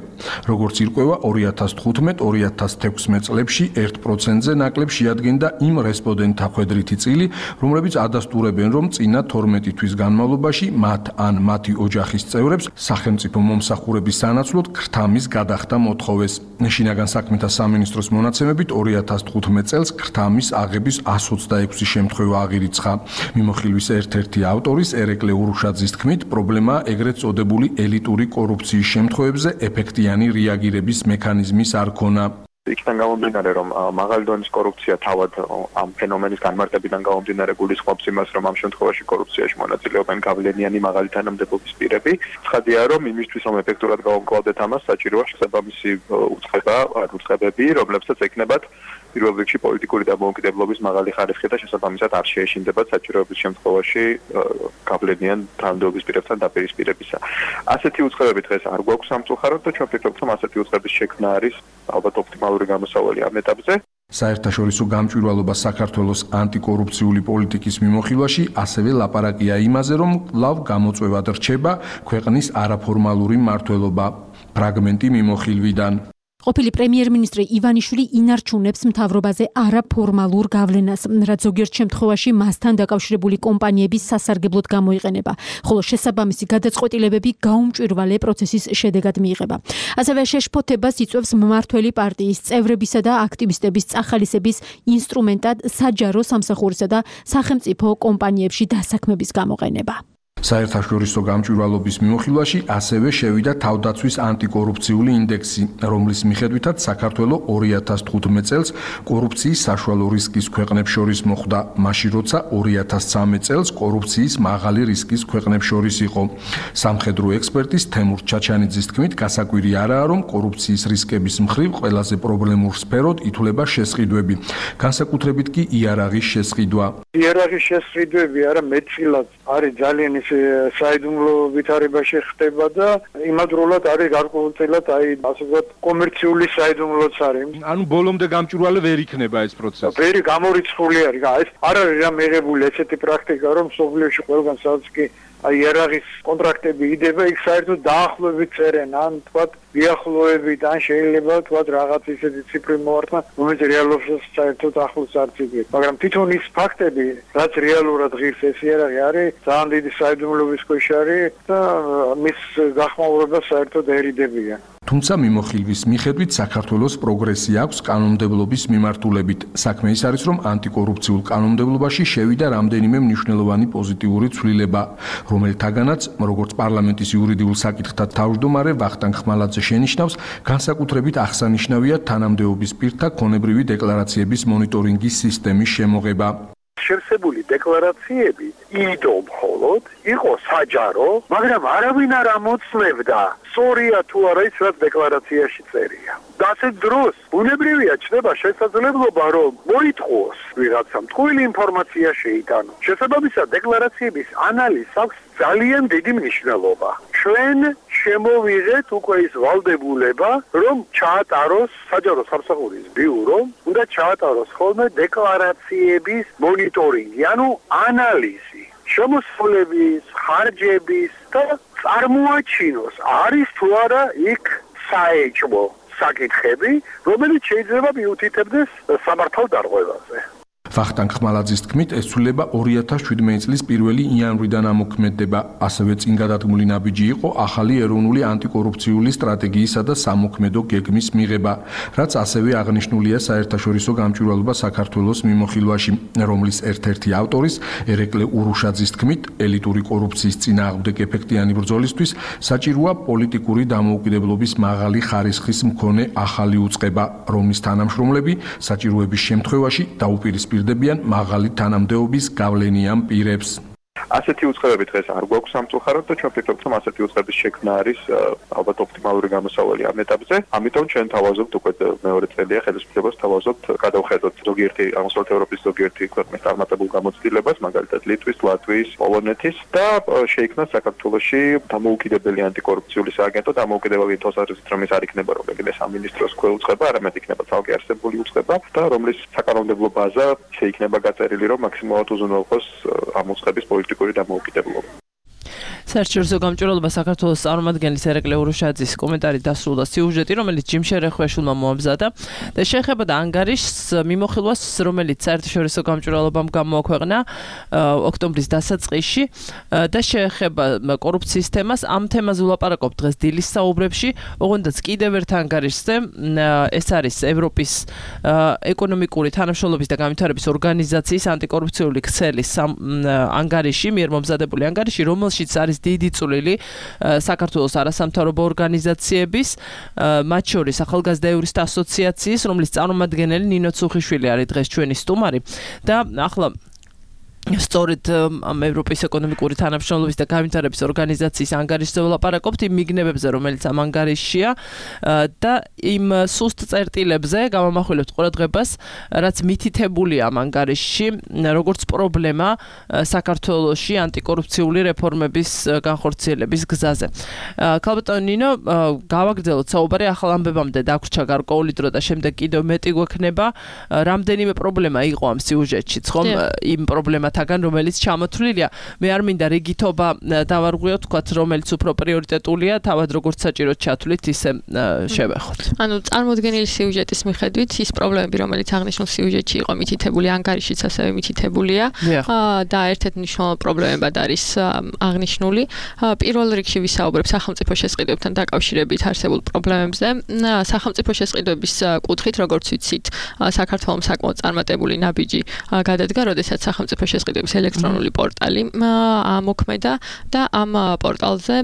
F: როგორც ირკვევა, 2015-2016 წლებში 1%-ზე ნაკლებ შეადგენდა იმ რესპონდენტთა ხვედრითი წილი, რომლებიც ადასტურებენ, რომ წინა 12 თვის განმავლობაში მათ ან მათი ოჯახის წევრებს სახელმწიფო მომსახურების სანაცვლოდ ქრთამის გადახდა მოთხოვეს. შინაგან საქმეთა სამინისტროს მონაცემებით 2015 წელს ქრთამის აღების 126 შემთხვევა აღირიცხა. მიმოხილვის ერთ-ერთი ავტორის ერეკლე ურუშაძის თქმით, პრობლემაა ეგრეთ წოდებული ელიტური კორუფციის შემთხვევებზე ეფექტიანი რეაგირების მექანიზმის არ ქონა.
G: იქიდან გამომდინარე, რომ მაღალი დონის კორუფცია თავად ამ ფენომენის განმარტებიდან გამომდინარე გულისხმობს იმას, რომ ამ შემთხვევაში კორუფციაში მონაწილეობენ გავლენიანი მაღალი თანამდებობის პირები. ცხადია, რომ იმისთვის, რომ ეფექტურად გავამკლავდეთ ამას, საჭიროა შესაბამისი უწყებები, რომლებსაც ეკნებათ პირველ რიგში პოლიტიკური დამოუკიდებლობის მაღალი ხარისხი და შესაბამისად არ შეეშინდებათ საჭიროების შემთხვევაში გავლენიან თანამდებობის პირებთან დაპირისპირებისა. ასეთი უწყებები დღეს არ გვაქვს სამწუხაროდ და ჩვენ ვფიქრობთ, რომ ასეთი უწყების შექმნა არის ალბათ ოპტიმალური გამოსავალი ამ ეტაპზე.
F: საერთაშორისო გამჭვირვალობა საქართველოს ანტიკორუფციული პოლიტიკის მიმოხილვაში ასევე ლაპარაკია იმაზე, რომ კვლავ გამოწვევად რჩება ქვეყნის არაფორმალური მმართველობა. ფრაგმენტი მიმოხილვიდან.
H: ყოფილი პრემიერ-მინისტრი ივანიშვილი ინარჩუნებს მთავრობაზე არაფორმალურ გავლენას, რაც ზოგიერთ შემთხვევაში მასთან დაკავშირებული კომპანიების სასარგებლოდ გამოიყენება, ხოლო შესაბამისი გადაწყვეტილებები გაუმჭვირვალე პროცესის შედეგად მიიღება. ასევე შეშფოთებას იწვევს მმართველი პარტიის წევრებისა და აქტივისტების წახალისების ინსტრუმენტად საჯარო სამსახურისა და სახელმწიფო კომპანიებში დასაქმების გამოყენება.
F: საერთაშორისო გამჭვირვალობის მიმოხილვაში ასევე შევიდა თავდაცვის ანტიკორუფციული ინდექსი, რომლის მიხედვითაც საქართველოს 2015 წელს კორუფციის საშუალო რისკის ქვეყნებს შორის მოხვდა, მაშინ როცა 2013 წელს კორუფციის მაღალი რისკის ქვეყნებს შორის იყო. სამხედრო ექსპერტის თემურ ჩაჩანიძის თქმით, გასაკვირი არაა, რომ კორუფციის რისკების მხრივ ყველაზე პრობლემურ სფეროდ ითვლება შესყიდვები, განსაკუთრებით კი იარაღის შესყიდვა.
I: იარაღის შესყიდვები არა მეტწილად არის ძალიან საიდუმლო ვითარებაში ხდება და იმადროულად არის გარკვეულწილად ასე ვთქვათ კომერციული საიდუმლოც არის.
F: ანუ ბოლომდე გამჭვირვალე ვერ იქნება ეს პროცესი.
I: ვერი გამორიცხული არის. ეს არ არის რა მიღებული ესეთი პრაქტიკა, რომ სოფლიოში ყველგან სადაც კი იარაღის კონტრაქტები იდება, იქ საერთოდ დაახლოებით წერენ, ან თქვათ მიახლოებით, ან შეიძლება თქვათ რაღაც ისეთი ციფრი მოარტყა, რომელიც რეალობაშიც საერთოდ ახლოს არ ციკლებს. მაგრამ თვითონ ის ფაქტები, რაც რეალურად ღირს ეს იარაღი არის, ძალიან დიდი საიდუმლოების ქვეშ არის და მის გახმაურება საერთოდერიდებიან.
F: თუმცა მიმოხილვის მიხედვით საქართველოს პროგრესი აქვს კანონმდებლობის მიმართულებით. საქმე ის არის, რომ ანტიკორუფციულ კანონმდებლობაში შევიდა რამდენიმე მნიშვნელოვანი პოზიტიური ცვლილება, რომელთაგანაც, როგორც პარლამენტის იურიდიულ საკითხთა თავმჯდომარე ვახტანგ ხმალაძე შენიშნავს, განსაკუთრებით აღსანიშნავია თანამდებობის პირთა ქონებრივი დეკლარაციების მონიტორინგის სისტემის შემოღება.
I: შევსებული დეკლარაციები იდო მხოლოდ იყო საჯარო, მაგრამ არავინ არ ამოწმებდა სწორია თუ არა ის რაც დეკლარაციაში წერია. და ასეთ დროს ბუნებრივია ჩნდება შესაძლებლობა რომ მოითხოვოს ვიღაცამ თქვილი ინფორმაცია შეიტანოს. შესაბამისად დეკლარაციების ანალიზს აქვს ძალიან დიდი მნიშვნელობა. ჩვენ შემოვიღეთ უკვე ის ვალდებულება, რომ ჩაატაროს საჯარო სამსახურის ბიურომ, უნდა ჩაატაროს ხოლმე დეკლარაციების მონიტორინგი, ანუ ანალიზი, შემოსავლების, ხარჯების და წარმოაჩინოს, არის თუ არა იქ საეჭვო საკითხები, რომელიც შეიძლება მიუთითებდეს სამართალ დარღვევაზე.
F: ვახტანგ ხმალაძის თქმით, ეს ცვლილება 2017 წლის 1 იანვრიდან ამოქმედდება. ასევე წინ გადადგმული ნაბიჯი იყო ახალი ეროვნული ანტიკორუფციული სტრატეგიისა და სამოქმედო გეგმის მიღება, რაც ასევე აღნიშნულია საერთაშორისო გამჭვირვალობა საქართველოს მიმოხილვაში, რომლის ერთ-ერთი ავტორის ერეკლე ურუშაძის თქმით, ელიტური კორუფციის წინააღმდეგ ეფექტიანი ბრძოლისთვის საჭიროა პოლიტიკური დამოუკიდებლობის მაღალი ხარისხის მქონე ახალი უწყება, რომლის თანამშრომლები საჭიროების შემთხვევაში დაუპირისპირდებიან მაღალი თანამდებობის გავლენიან პირებს.
G: ასეთი უწყებები დღეს არ გვაქვს სამწუხაროდ და ჩვენ ვფიქრობთ, რომ ასეთი უწყების შექმნა არის ალბათ ოპტიმალური გამოსავალი ამ ეტაპზე. ამიტომ ჩვენ თავაზობთ უკვე მეორე წელია ხელისუფლებას თავაზობთ გადავხედოთ ზოგიერთი აღმოსავლეთ ევროპის ზოგიერთი ქვეყნის წარმატებულ გამოცდილებას, მაგალითად ლიტვის, ლატვიის, პოლონეთის და შეიქმნას საქართველოში დამოუკიდებელი ანტიკორუფციული სააგენტო, დამოუკიდებელი თვალსაზრისით, რომ ეს არ იქნება რომელიმე სამინისტროს ქვეუწყება, არამედ იქნება ცალკე არსებული უწყება და რომლის საკანონმდებლო ბაზა შეიქმნება გაწერილი, რომ მაქსიმალურად უზრუნველყოს ამ უწყების პოლიტიკური დამოუკიდებლობა.
C: საერთაშორისო გამჭვირვალობა საქართველოს წარმომადგენლის ერეკლე ურუშაძის კომენტარი დასრულდა სიუჟეტი, რომელიც ჯიმ შერეხვეშულმა მოამზადა და შეეხებოდა ანგარიშს მიმოხილვას, რომელიც საერთაშორისო გამჭვირვალობამ გამოაქვეყნა ოქტომბრის დასაწყისში და შეეხება კორუფციის თემას. ამ თემაზე ვლაპარაკობთ დღეს დილის საუბრებში, ოღონდაც კიდევ ერთ ანგარიშზე, ეს არის ევროპის ეკონომიკური თანამშრომლობის და განვითარების ორგანიზაციის ანტიკორუფციული ქსელის ანგარიში, მიერ მომზადებული ანგარიში, რომელშიც არის დიდი წვლილი საქართველოს არასამთავრობო ორგანიზაციების, მათ შორის ახალგაზრდა იურისტთა ასოციაციის, რომლის წარმომადგენელი ნინო ცუხიშვილი არის დღეს ჩვენი სტუმარი და ახლა სწორედ ევროპის ეკონომიკური თანამშრომლობის და განვითარების ორგანიზაციის ანგარიშზე ვლაპარაკობთ იმ მიგნებებზე, რომელიც ამ ანგარიშია და იმ სუსტ წერტილებზე გამომახვილებთ ყურადღებას, რაც მითითებულია ამ ანგარიშში, როგორც პრობლემა საქართველოში ანტიკორუფციული რეფორმების განხორციელების გზაზე. ქალბატონო ნინო, გავაგრძელოთ საუბარი ახალ ამბებამდე დაგვრჩა გარკვეული დრო და შემდეგ კიდევ მეტი გვექნება. რამდენიმე პრობლემა იყო ამ სიუჟეტშიც, ხომ? იმ პრობლემა თაგან რომელიც ჩამოთვლილია. მე არ მინდა რიგითობა დავარღვიოთ, თქვათ, რომელიც უფრო პრიორიტეტულია, თავად როგორც საჭიროდ ჩათვლით, ისე შევეხოთ.
E: ანუ წარმოდგენილი სიუჟეტის მიხედვით ის პრობლემები, რომელიც აღნიშნულ სიუჟეტში იყო მითითებული, ანგარიშიც ასევე მითითებულია და ერთ-ერთი მნიშვნელოვანი პრობლემებად არის აღნიშნული. პირველ რიგში ვისაუბრებ სახელმწიფო შესყიდვებთან დაკავშირებით არსებულ პრობლემებზე. სახელმწიფო შესყიდვების კუთხით, როგორც ვიცით, საქართველოს საკმაოდ წარმატებული ნაბიჯი გადადგა, როდესაც სახელმწიფო შესყიდვების ელექტრონული პორტალი ამოქმედა და ამ პორტალზე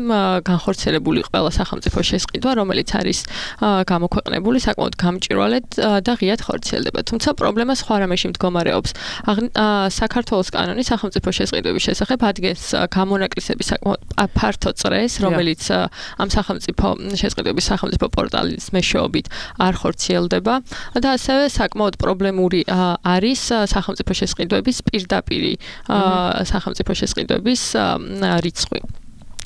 E: განხორციელებული ყველა სახელმწიფო შესყიდვა, რომელიც არის გამოქვეყნებული საკმაოდ გამჭვირვალედ და ღიად ხორციელდება. თუმცა პრობლემა სხვა რამეში მდგომარეობს. საქართველოს კანონი სახელმწიფო შესყიდვების შესახებ ადგენს გამონაკლისების საკმაოდ ფართო წრეს, რომელიც ამ სახელმწიფო შესყიდვების სახელმწიფო პორტალის მეშვეობით არ ხორციელდება და ასევე საკმაოდ პრობლემური არის სახელმწიფო შესყიდვების პირდაპირი პირდაპირი სახელმწიფო შესყიდვების რიცხვი.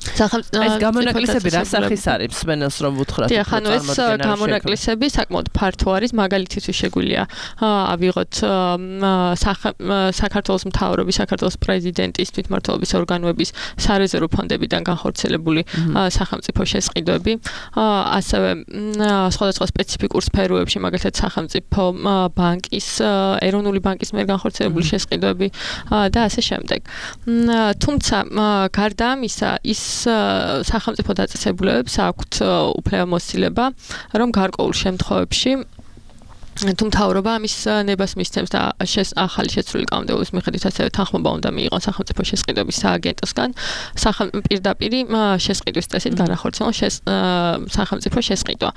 C: ეს გამონაკლისები რა სახის არის მსმენელს რომ უთხრათ
E: დიახ, ანუ ეს გამონაკლისები საკმაოდ ფართო არის, მაგალითად შეგვიძლია ავიღოთ საქართველოს მთავრობის, საქართველოს პრეზიდენტის თვითმმართველობის ორგანოების სარეზერვო ფონდებიდან განხორციელებული სახელმწიფო შესყიდვები, ასევე სხვადასხვა სპეციფიკურ სფეროებში, მაგალითად სახელმწიფო ბანკის, ეროვნული ბანკის მიერ განხორციელებული შესყიდვები და ასე შემდეგ. თუმცა გარდა ამისა, ის სახელმწიფო დაწესებულებებს აქვთ უფლებამოსილება, რომ გარკვეულ შემთხვევებში თუ მთავრობა ამის ნებას მისცემს და ახალი შეცვლილი კანონმდებლობის მიხედვით ასევე თანხმობა უნდა მიიღონ სახელმწიფო შესყიდვების სააგენტოსგან პირდაპირი შესყიდვის წესით განახორციელონ სახელმწიფო შესყიდვა.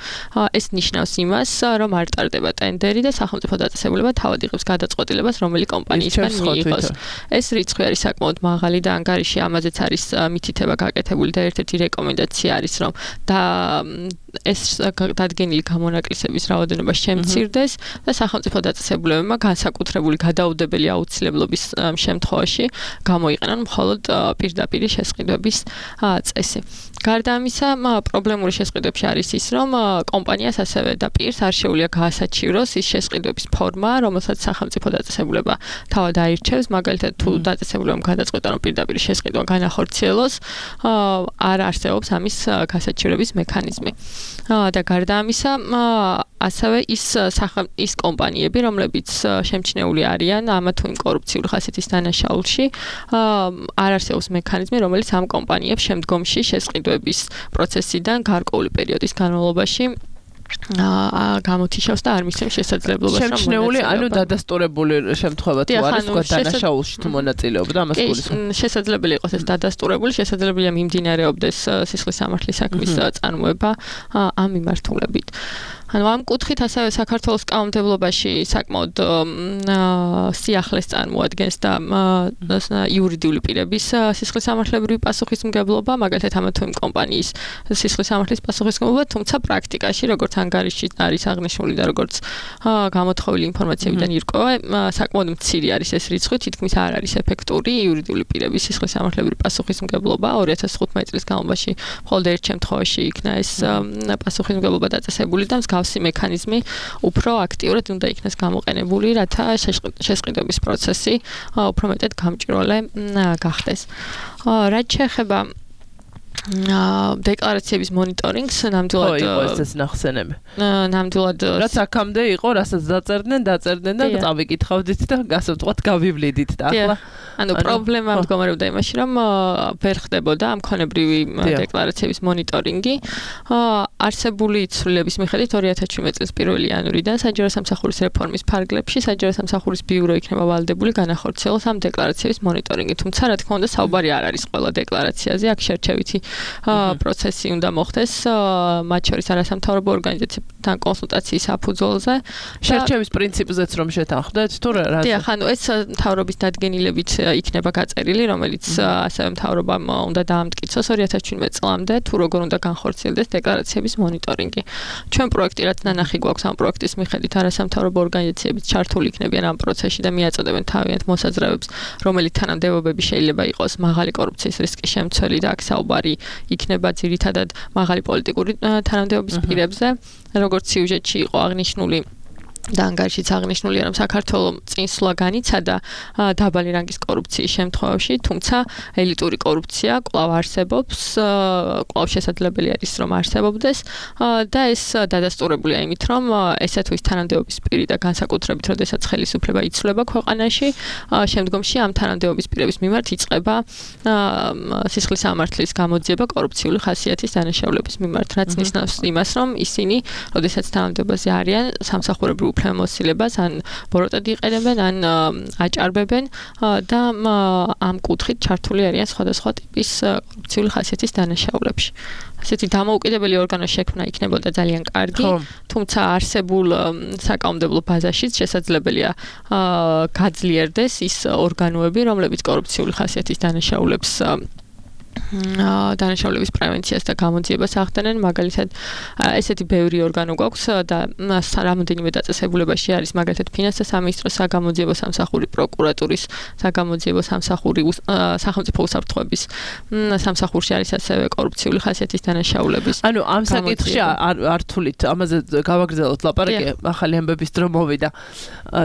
E: ეს ნიშნავს იმას, რომ არ ტარდება ტენდერი და სახელმწიფო დაწესებულება თავად იღებს გადაწყვეტილებას, რომელი კომპანიისგან მიიღოს. ეს რიცხვი არის საკმაოდ მაღალი და ანგარიში ამაზეც არის მითითება გაკეთებული და ერთ-ერთი რეკომენდაცია არის, რომ ეს დადგენილი გამონაკლისების რაოდენობა შემცირდეს და სახელმწიფო დაწესებულებებმა განსაკუთრებული გადაუდებელი აუცილებლობის შემთხვევაში გამოიყენონ მხოლოდ პირდაპირი შესყიდვების წესი. გარდა ამისა, პრობლემური შესყიდვებში არის ის, რომ კომპანიას ასევე და პირს არ შეუძლია გაასაჩივროს ის შესყიდვების ფორმა, რომელსაც სახელმწიფო დაწესებულება თავად აირჩევს, მაგალითად თუ დაწესებულებამ გადაწყვეტა, რომ პირდაპირი შესყიდვა განახორციელოს, არ არსებობს ამის გასაჩივრების მექანიზმი. და გარდა ამისა, ასევე ის კომპანიები, რომლებიც შემჩნეული არიან ამა თუ იმ კორუფციული ხასიათის დანაშაულში, არ არსებობს მექანიზმი, რომელიც ამ კომპანიებს შემდგომში შესყიდვების პროცესიდან გარკვეული პერიოდის განმავლობაში გამოთიშავს და არ მისცემს შესაძლებლობას რომ
C: შემჩნეული, ანუ დადასტურებული შემთხვევა თუ არის თქვა დანაშაულში თუ მონაწილეობდა ამას გულისხმობ.
E: შესაძლებელი იყოს ეს დადასტურებული, შესაძლებელია მიმდინარეობდეს სისხლის სამართლის საქმის წარმოება ამ მიმართულებით. ანუ ამ კუთხით ასევე საქართველოს კანონმდებლობაში საკმაოდ სიახლეს წარმოადგენს და იურიდიული პირების სისხლის სამართლებრივი პასუხისმგებლობა, მაგალითად ამა თუ იმ კომპანიის სისხლის სამართლის პასუხისმგებლობა, თუმცა პრაქტიკაში, როგორც ანგარიში არის აღნიშნული და როგორც გამოთხოვილი ინფორმაციებიდან ირკვევა, საკმაოდ მცირე არის ეს რიცხვი, თითქმის არ არის ეფექტური იურიდიული პირების სისხლის სამართლებრივი პასუხისმგებლობა. 2015 წლის განმავლობაში მხოლოდ ერთ შემთხვევაში იქნა ეს პასუხისმგებლობა დაწესებული და მსგავსი მექანიზმი უფრო აქტიურად უნდა იქნას გამოყენებული, რათა შესყიდვების პროცესი უფრო მეტად გამჭვირვალე გახდეს. რაც შეეხება დეკლარაციების მონიტორინგს, ნამდვილად
C: ეს ნახსენები.
E: ნამდვილად
C: რაც აქამდე იყო, რასაც დაწერდნენ და წავიკითხავდით და ასე ვთქვათ, გავივლიდით და ახლა
E: ანუ პრობლემა მდგომარეობდა იმაში, რომ ვერ ხდებოდა ამ ქონებრივი დეკლარაციების მონიტორინგი. არსებული ცვლილების მიხედვით 2017 წლის 1 იანვრიდან საჯარო სამსახურის რეფორმის ფარგლებში საჯარო სამსახურის ბიურო იქნება ვალდებული განახორციელოს ამ დეკლარაციების მონიტორინგი. თუმცა, რა თქმა უნდა, საუბარი არ არის ყველა დეკლარაციაზე, აქ შერჩევითი პროცესი უნდა მოხდეს, მათ შორის არასამთავრობო ორგანიზაციებთან კონსულტაციის საფუძველზე.
C: შერჩევის პრინციპზეც რომ შეთანხმდეთ, თუ რა?
E: დიახ, ანუ ეს მთავრობის დადგენილებით იქნება გაწერილი, რომელიც ასევე მთავრობამ უნდა დაამტკიცოს 2017 წლამდე, თუ როგორ უნდა განხორციელდეს დეკლარაციების მონიტორინგი. ჩვენ პროექტი რაც ნანახი გვაქვს ამ პროექტის მიხედვით არასამთავრობო ორგანიზაციებიც ჩართული იქნებიან ამ პროცესში და მიაწოდებენ თავიანთ მოსაზრებებს, რომელი თანამდებობები შეიძლება იყოს მაღალი კორუფციის რისკის შემცველი და აქ საუბარი იქნება ძირითადად მაღალი პოლიტიკური თანამდებობის პირებზე, როგორც სიუჟეტში იყო აღნიშნული და ანგარიშიც აღნიშნულია, რომ საქართველოს წინსვლა განიცადა დაბალი რანგის კორუფციის შემთხვევაში, თუმცა ელიტური კორუფცია კვლავ არსებობს, კვლავ შესაძლებელი არის რომ არსებობდეს და ეს დადასტურებულია იმით, რომ ესე თუ ის თანამდებობის პირი და განსაკუთრებით, როდესაც ხელისუფლება იცვლება ქვეყანაში, შემდგომში ამ თანამდებობის პირების მიმართ იწყება სისხლის სამართლის გამოძიება კორუფციული ხასიათის დანაშაულების მიმართ, რაც ნიშნავს იმას, რომ ისინი, როდესაც თანამდებობაზე არიან, სამსახურებრივ უფლებამოსილებას ან ბოროტად იყენებენ, ან აჭარბებენ და ამ კუთხით ჩართული არიან სხვადასხვა ტიპის კორუფციული ხასიათის დანაშაულებში. ასეთი დამოუკიდებელი ორგანო შექმნა იქნებოდა ძალიან კარგი, თუმცა არსებულ საკანონმდებლო ბაზაშიც შესაძლებელია გაძლიერდეს ის ორგანოები, რომლებიც კორუფციული ხასიათის დანაშაულებს დანაშაულების პრევენციას და გამოძიებას ახდენენ, მაგალითად ესეთი ბევრი ორგანო გვაქვს და რამოდენიმე დაწესებულებაში არის, მაგალითად ფინანსთა სამინისტროს საგამოძიებო სამსახური, პროკურატურის საგამოძიებო სამსახური, სახელმწიფო უსაფრთხოების სამსახურში არის ასევე კორუფციული ხასიათის დანაშაულების.
C: ანუ ამ საკითხში არ თulit, ამაზე გავაგრძელოთ ლაპარაკი, ახალი ამბების დრო მოვიდა.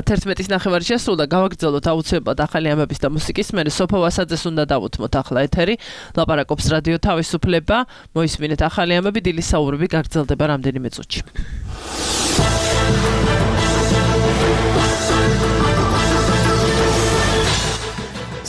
C: 11-ის ნახევარი შესრულდა, გავაგრძელოთ აუცილებლად ახალი ამბების და მუსიკის მერე სოფო ვასაძეს უნდა დავუთმოთ ახლა ეთერი. ლაპარაკობს რადიო თავისუფლება, მოისმინეთ ახალი ამბები, დილის საუბრები გაგრძელდება რამდენიმე წუთში.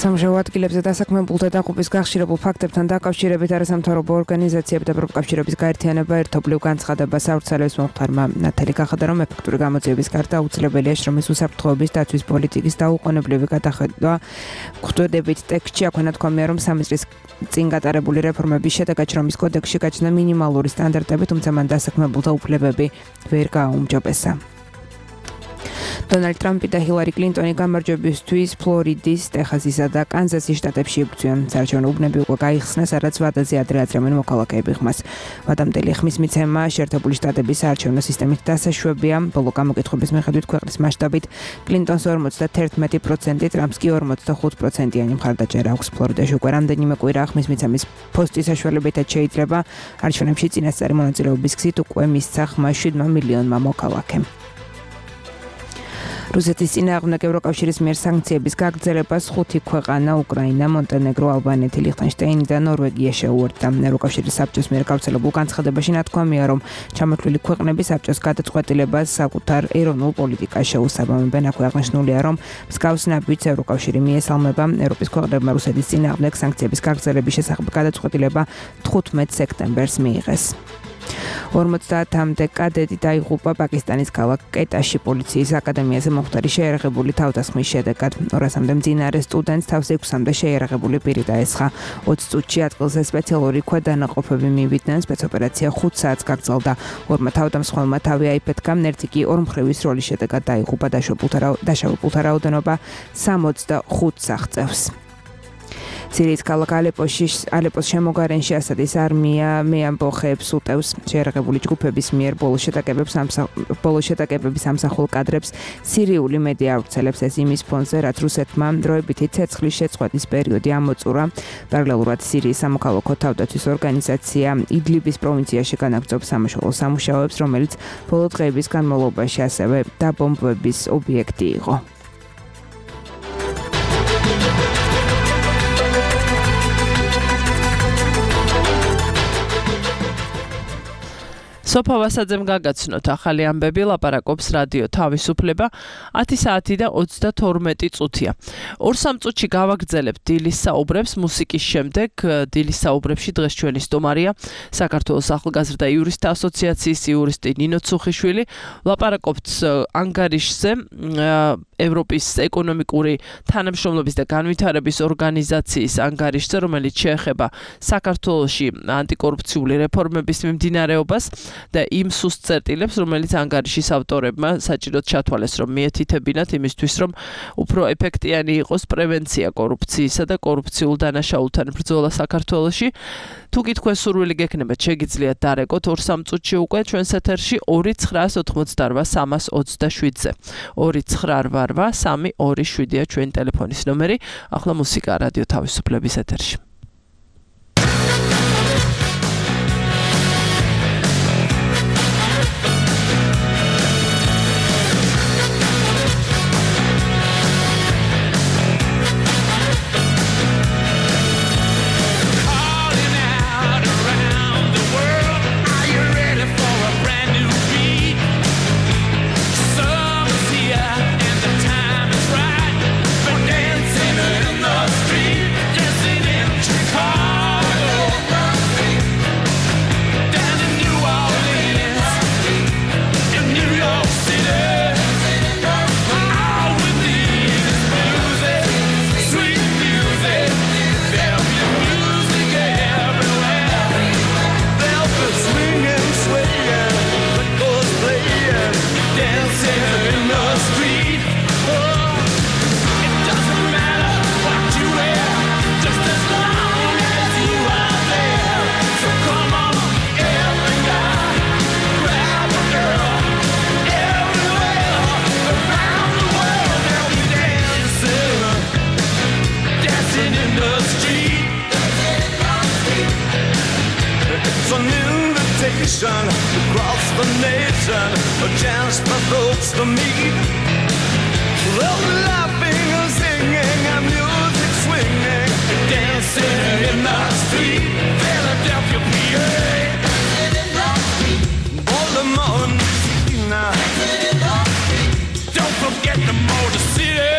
B: სამუშაო ადგილებზე დასაქმებულთა დაღუპვის გახშირებულ ფაქტებთან დაკავშირებით არასამთავრობო ორგანიზაციები და პროფკავშირების გაერთიანება ერთობლივ განცხადებას აუცილებს მომხდარმა ნათელი გახადა, რომ ეფექტური გამოძიების გარდა აუცილებელია შრომის უსაფრთხოების დაცვის პოლიტიკის დაუყოვნებლივი გადახედვა. ხვდებით ტექსტში აქვენა თქვამია, რომ 3 წლის წინ გატარებული რეფორმების შედეგად შრომის კოდექსში გაჩნდა მინიმალური სტანდარტები, თუმცა მან დასაქმებულთა უფლებები ვერ გააუმჯობესა. დონალდ ტრამპი და ჰილარი კლინტონი გამარჯვებისთვის ფლორიდის, ტეხასისა და კანზასის შტატებში იბრძვიან. საარჩევნო უბნები უკვე გაიხსნა, სადაც ვადაზე ადრე აწრემენ მოქალაქეები ხმას. ვადამდელი ხმის მიცემა შეერთებული შტატების საარჩევნო სისტემით დასაშვებია. ბოლო გამოკითხების მიხედვით ქვეყნის მასშტაბით კლინტონს 51%, ტრამპს კი 45%-იანი მხარდაჭერა აქვს. ფლორიდაში უკვე რამდენიმე კვირა ხმის მიცემის პოსტის საშუალებითაც შეიძლება არჩევნებში წინასწარი მონაწილეობის გზით უკვე მისცა ხმა 7 მილიონმა მოქალაქემ. რუსეთის წინააღმდეგ ევროკავშირის მიერ სანქციების გაგრძელებას 5 ქვეყანა უკრაინა, მონტენეგრო, ალბანეთი, ლიხტენშტეინი და ნორვეგია შეუერთდა. ევროკავშირის საბჭოს მიერ გავრცელებულ განცხადებაში ნათქვამია, რომ ჩამოთვლილი ქვეყნები საბჭოს გადაწყვეტილებას საკუთარ ეროვნულ პოლიტიკას შეუსაბამებენ. აქვე აღნიშნულია, რომ მსგავს ნაბიჯს ევროკავშირი მიესალმება. ევროპის ქვეყნებმა რუსეთის წინააღმდეგ სანქციების გაგრძელების შესახებ გადაწყვეტილება 15 სექტემბერს მიიღეს. 50-მდე კადეტი დაიღუპა პაკისტანის ქალაქ კეტაში პოლიციის აკადემიაზე მომხდარი შეიარაღებული თავდასხმის შედეგად. 200-მდე მძინარე სტუდენტს თავს 6-მდე შეიარაღებული პირი დაესხა. 20 წუთში ადგილზე სპეციალური ქვედანაყოფები მივიდნენ. სპეცოპერაცია 5 საათს გაგრძელდა. ორმა თავდამსხმელმა თავი აიფეთქა, ერთი კი ორმხრივის როლის შედეგად დაიღუპა. დაშავებულთა რაოდენობა 65 აღწევს. სირიის ქალაქ ალეპოს შემოგარენში ასადის არმია მეამბოხეებს უტევს. შეიარაღებული ჯგუფების მიერ ბოლო შეტაკებების ამსახულ კადრებს სირიული მედია ავრცელებს. ეს იმის ფონზე, რაც რუსეთმა დროებითი ცეცხლის შეწყვეტის პერიოდი ამოწურა. პარალელურად სირიის სამოქალაქო თავდაცვის ორგანიზაცია იდლიბის პროვინციაში განაგრძობს სამაშველო სამუშაოებს, რომელიც ბოლო დღეების განმავლობაში ასევე დაბომბვების ობიექტი იყო.
C: სოფო ვასაძემ გაგაცნოთ ახალი ამბები, ლაპარაკობს რადიო თავისუფლება 10 საათი და 32 წუთია. 2-3 წუთში გავაგრძელებთ დილის საუბრებს მუსიკის შემდეგ. დილის საუბრებში დღეს ჩვენი სტუმარია საქართველოს ახალგაზრდა იურისტთა ასოციაციის იურისტი ნინო ცუხიშვილი. ლაპარაკობთ ანგარიშზე, ევროპის ეკონომიკური თანამშრომლობის და განვითარების ორგანიზაციის ანგარიშზე, რომელიც შეეხება საქართველოში ანტიკორუფციული რეფორმების მიმდინარეობას და იმ სუსტ წერტილებს, რომელიც ანგარიშის ავტორებმა საჭიროდ ჩათვალეს, რომ მიეთითებინათ იმისთვის, რომ უფრო ეფექტიანი იყოს პრევენცია კორუფციისა და კორუფციულ დანაშაულთან ბრძოლა საქართველოში. თუ გითქვენ სურვილი გექნებათ, შეგიძლიათ დარეკოთ 2-3 წუთში უკვე ჩვენს ეთერში 2988327-ზე. 2988327-ია ჩვენი ტელეფონის ნომერი. ახლა მუსიკა რადიო თავისუფლების ეთერში.
J: Dancing in the street, dancing in reason just for folks to meet. Love laughing and singing and music swinging, dancing in the street, Philadelphia, PA. All the morning, don't forget the Motor City,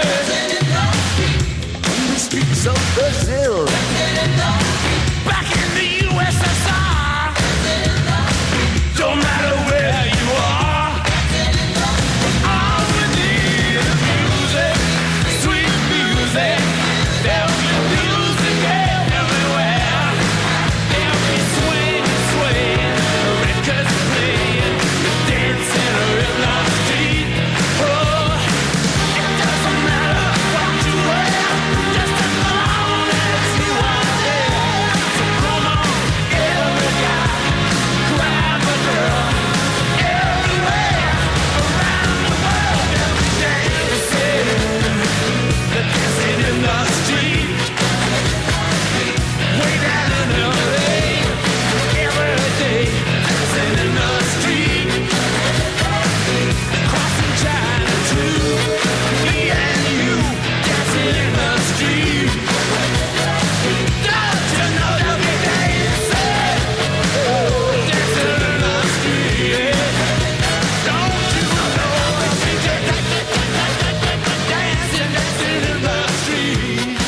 J: on the streets of Brazil, back in the USSR. Don't matter where you are, all we need is music, sweet music. There'll be music everywhere. There'll be swing, swing, records playing, dancing in the street. Oh, it doesn't matter what you wear, just as long as you are there. So come on, every guy, grab a girl, everywhere around the world. They're dancing in the street. Way down in LA, every day, dancing in the street. Crossing China too, me and you, dancing in the street. Don't you know that we dancing, dancing in the street? Don't you know we dancing in the street?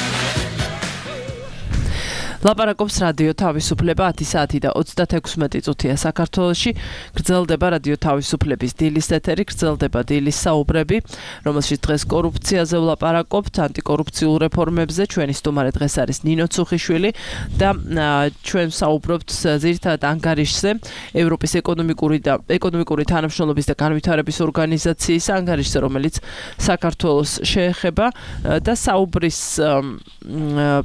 C: ლაპარაკობს რადიო თავისუფლება 10 საათი და 36 წუთია საქართველოში. გრძელდება რადიო თავისუფლების დილის ეთერი, გრძელდება დილის საუბრები, რომელშიც დღეს კორუფციაზე ვლაპარაკობთ, ანტიკორუფციულ რეფორმებზე. ჩვენი სტუმარი დღეს არის ნინო ცუხიშვილი და ჩვენ ვსაუბრობთ ძირითადად ანგარიშზე, ევროპის ეკონომიკური თანამშრომლობის და განვითარების ორგანიზაციის ანგარიშზე, რომელიც საქართველოს შეეხება და საუბრის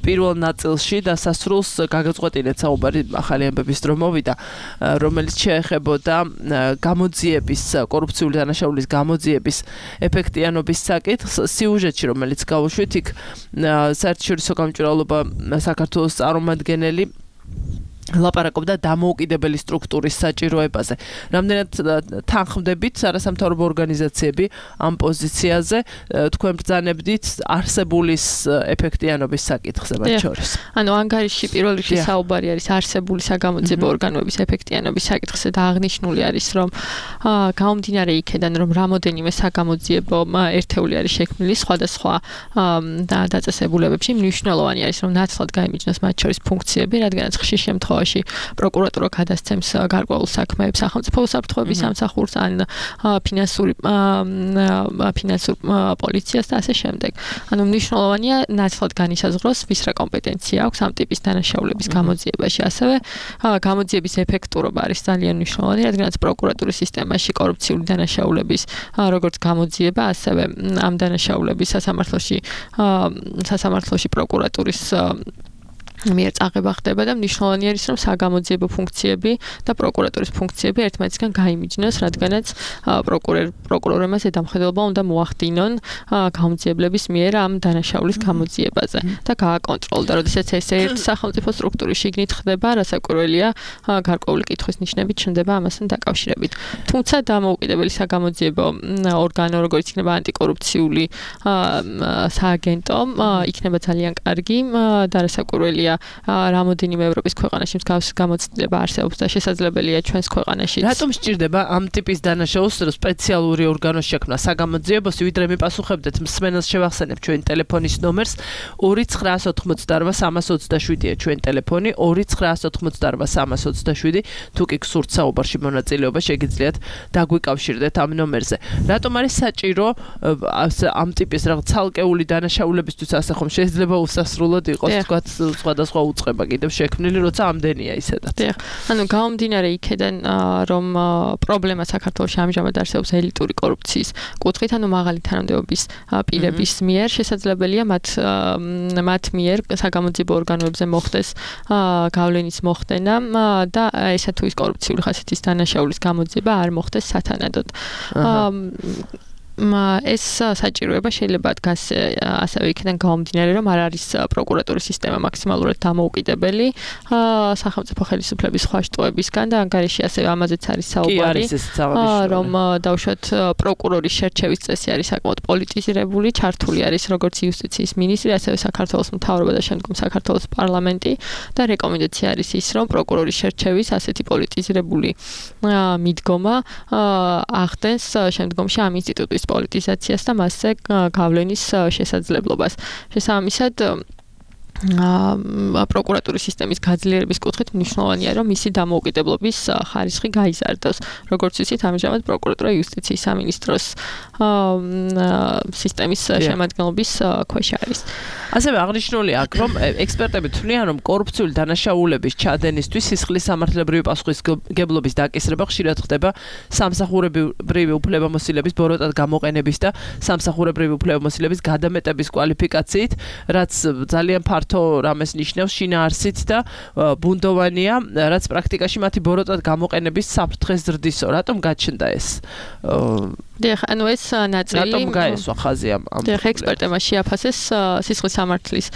C: პირველ ნაწილში და სრულს გაგაწყვეტილეთ საუბარი ახალი ამბების დრო მოვიდა, რომელიც შეეხებოდა გამოძიების, კორუფციული დანაშაულის გამოძიების ეფექტიანობის საკითხს. სიუჟეტში, რომელიც გავუშვით, იქ საერთაშორისო გამჭვირვალობა საქართველოს წარმომადგენელი ლაპარაკობდა დამოუკიდებელი სტრუქტურის საჭიროებაზე. რამდენად თანხმდებით არასამთავრობო ორგანიზაციები ამ პოზიციაზე, თქვენ ბრძანებდით არსებულის ეფექტიანობის საკითხზე მათ შორის?
E: ანუ ანგარიში პირველ რიგში საუბარი არის არსებული საგამოძიებო ორგანოების ეფექტიანობის საკითხზე და აღნიშნული არის, რომ გამომდინარე იქედან, რომ რამოდენიმე საგამოძიებო ერთეული არის შექმნილი სხვადასხვა დაწესებულებებში, მნიშვნელოვანი არის, რომ ნაცვლად გაიმიჯნოს მათ შორის ფუნქციები, რადგანაც ხშირ შემთხვევაში პროკურატურა გადასცემს გარკვეულ საქმეებს სახელმწიფო უსაფრთხოების სამსახურს ან ფინანსურ პოლიციას და ასე შემდეგ. ანუ მნიშვნელოვანია ნაცვლად განისაზღვროს ვის რა კომპეტენცია აქვს ამ ტიპის დანაშაულების გამოძიებაში. ასევე გამოძიების ეფექტურობა არის ძალიან მნიშვნელოვანი, რადგანაც პროკურატურის სისტემაში კორუფციული დანაშაულების როგორც გამოძიება, ასევე ამ დანაშაულების სასამართლოში პროკურატურის მიერ წაღება ხდება და მნიშვნელოვანი არის, რომ საგამოძიებო ფუნქციები და პროკურატურის ფუნქციები ერთმანეთისგან გაიმიჯნოს, რადგანაც პროკურორებმა ზედამხედველობა უნდა მოახდინონ გამოძიებლების მიერ ამ დანაშაულის გამოძიებაზე და გააკონტროლოს. და როდესაც ეს ერთ სახელმწიფო სტრუქტურის შიგნით ხდება, რასაკვირველია, გარკვეული კითხვის ნიშნები ჩნდება ამასთან დაკავშირებით. თუმცა დამოუკიდებელი საგამოძიებო ორგანო, როგორც იქნება ანტიკორუფციული სააგენტო, იქნება ძალიან კარგი და რასაკვირველია რამოდენიმე ევროპის ქვეყანაში მსგავსი გამოცდილება არსებობს და შესაძლებელია ჩვენს ქვეყანაში.
C: რატომ სჭირდება ამ ტიპის დანაშაულს სპეციალური ორგანო შექმნა საგამოძიებოსი, ვიდრე მიპასუხებდეთ მსმენელს შევახსენებ ჩვენ ტელეფონის ნომერს 2988327-ია ჩვენ ტელეფონი 2988327. თუ კი გსურთ საუბარში მონაწილეობა, შეგიძლიათ დაგვიკავშირდეთ ამ ნომერზე. რატომ არის საჭირო ამ ტიპის რაღაც ცალკეული დანაშაულებისთვის ასე ხომ შეიძლება უსასრულოდ იყოს თქვა სხვადასხვა უწყება კიდევ შექმნილი, როცა ამდენია ისედაც.
E: დიახ. ანუ გამომდინარე იქედან, რომ პრობლემა საქართველოში ამჟამად არსებობს ელიტური კორუფციის კუთხით, ანუ მაღალი თანამდებობის პირების მიერ, შესაძლებელია მათ მიერ საგამოძიებო ორგანოებზე მოხდეს გავლენის მოხდენა და ესა თუ ის კორუფციული ხასიათის დანაშაულის გამოძიება არ მოხდეს სათანადოდ. ეს საჭიროება შეიძლება დგას ასევე იქიდან გამომდინარე, რომ არ არის პროკურატურის სისტემა მაქსიმალურად დამოუკიდებელი სახელმწიფო ხელისუფლების სხვა შტოებისგან და ანგარიში ასევე ამაზეც არის საუბარი, რომ დავუშვათ პროკურორის შერჩევის წესი არის საკმაოდ პოლიტიზირებული, ჩართული არის როგორც იუსტიციის მინისტრი, ასევე საქართველოს მთავრობა და შემდგომ საქართველოს პარლამენტი და რეკომენდაცია არის ის, რომ პროკურორის შერჩევის ასეთი პოლიტიზირებული მიდგომა ახდენს შემდგომში ამ ინსტიტუტის პოლიტიზაციას და მასზე გავლენის შესაძლებლობას. შესაბამისად პროკურატურის სისტემის გაძლიერების კუთხით მნიშვნელოვანია, რომ მისი დამოუკიდებლობის ხარისხი გაიზარდოს. როგორც ვიცით, ამჟამად პროკურატურა იუსტიციის სამინისტროს სისტემის შემადგენლობის ქვეშ არის.
C: ასევე აღნიშნულია აქ, რომ ექსპერტები თვლიან, რომ კორუფციული დანაშაულების ჩადენისთვის სისხლის სამართლებრივი პასუხისმგებლობის დაკისრება ხშირად ხდება სამსახურებრივი უფლებამოსილების ბოროტად გამოყენების და სამსახურებრივი უფლებამოსილების გადამეტების კვალიფიკაციით, რაც ძალიან ფართო რამეს ნიშნავს შინაარსით და ბუნდოვანია, რაც პრაქტიკაში მათი ბოროტად გამოყენების საფრთხეს ზრდისო. რატომ გაჩნდა ეს?
E: დიახ, ანუ ეს ნაწილი
C: რატომ გაესვა ხაზი ამ
E: დიახ, ექსპერტებმა შეაფასეს სისხლის სამართლის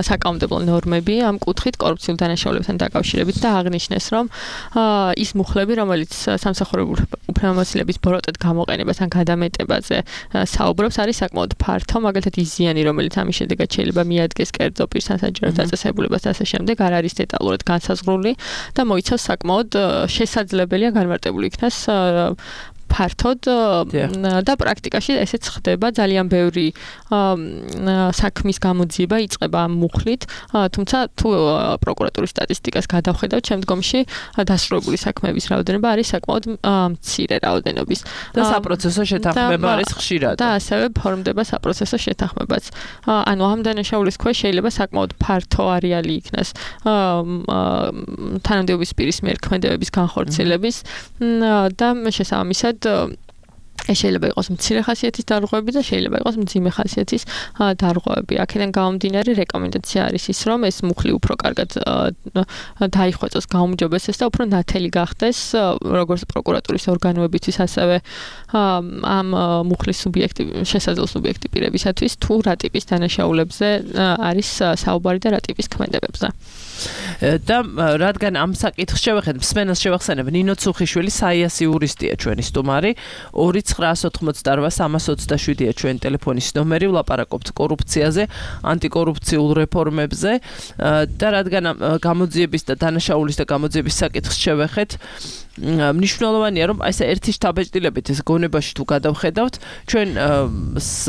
E: საკანონმდებლო ნორმები ამ კუთხით კორუფციულ დანაშაულებთან დაკავშირებით და აღნიშნეს, რომ ის მუხლები, რომელიც სამსახურებრივი უფლებამოსილების ბოროტად გამოყენებასთან გადამეტებაზე საუბრობს, არის საკმაოდ ფართო, მაგალითად ის ზიანი, რომელიც ამის შედეგად შეიძლება მიადგეს კერძო პირს ან საჯარო დაწესებულებას და ასე შემდეგ, არ არის დეტალურად განსაზღვრული და მოიცავს საკმაოდ შესაძლებელია განმარტებული იქნას ფართოდ და პრაქტიკაში ესეც ხდება ძალიან ბევრი საქმის გამოძიება იწყება ამ მუხლით, თუმცა თუ პროკურატურის სტატისტიკას გადავხედავთ, შემდგომში დასრულებული საქმეების რაოდენობა არის საკმაოდ მცირე რაოდენობის
C: და საპროცესო შეთანხმება არის ხშირად
E: და ასევე ფორმდება საპროცესო შეთანხმებაც. ანუ ამ დანაშაულის ქვეშ შეიძლება საკმაოდ ფართო არეალი იქნას თანამდებობის პირის მიერ ქმედებების განხორციელების და შესაბამისად ეს შეიძლება იყოს მცირე ხასიათის დარღვევები და შეიძლება იყოს მძიმე ხასიათის დარღვევები. აქედან გამომდინარე რეკომენდაცია არის ის, რომ ეს მუხლი უფრო კარგად დაიხვეწოს, გაუმჯობესდეს და უფრო ნათელი გახდეს როგორც პროკურატურის ორგანოებისთვის, ასევე ამ მუხლის შესაძლო სუბიექტი პირებისათვის, თუ რა ტიპის დანაშაულებზე არის საუბარი და რა ტიპის ქმედებებზე.
C: და რადგან ამ საკითხს შევხედეთ, მსმენელს შევახსენებ, ნინო ცუხიშვილი საიას იურისტია ჩვენი სტუმარი, 2988327-ია ჩვენი ტელეფონის ნომერი, ვლაპარაკობთ კორუფციაზე, ანტიკორუფციულ რეფორმებზე და რადგან გამოძიების და დანაშაულის და გამოძიების საკითხს შევეხეთ, მნიშვნელოვანია, რომ აი ეს ერთი შთაბეჭდილებით ეს გონებაში თუ გადავხედავთ, ჩვენ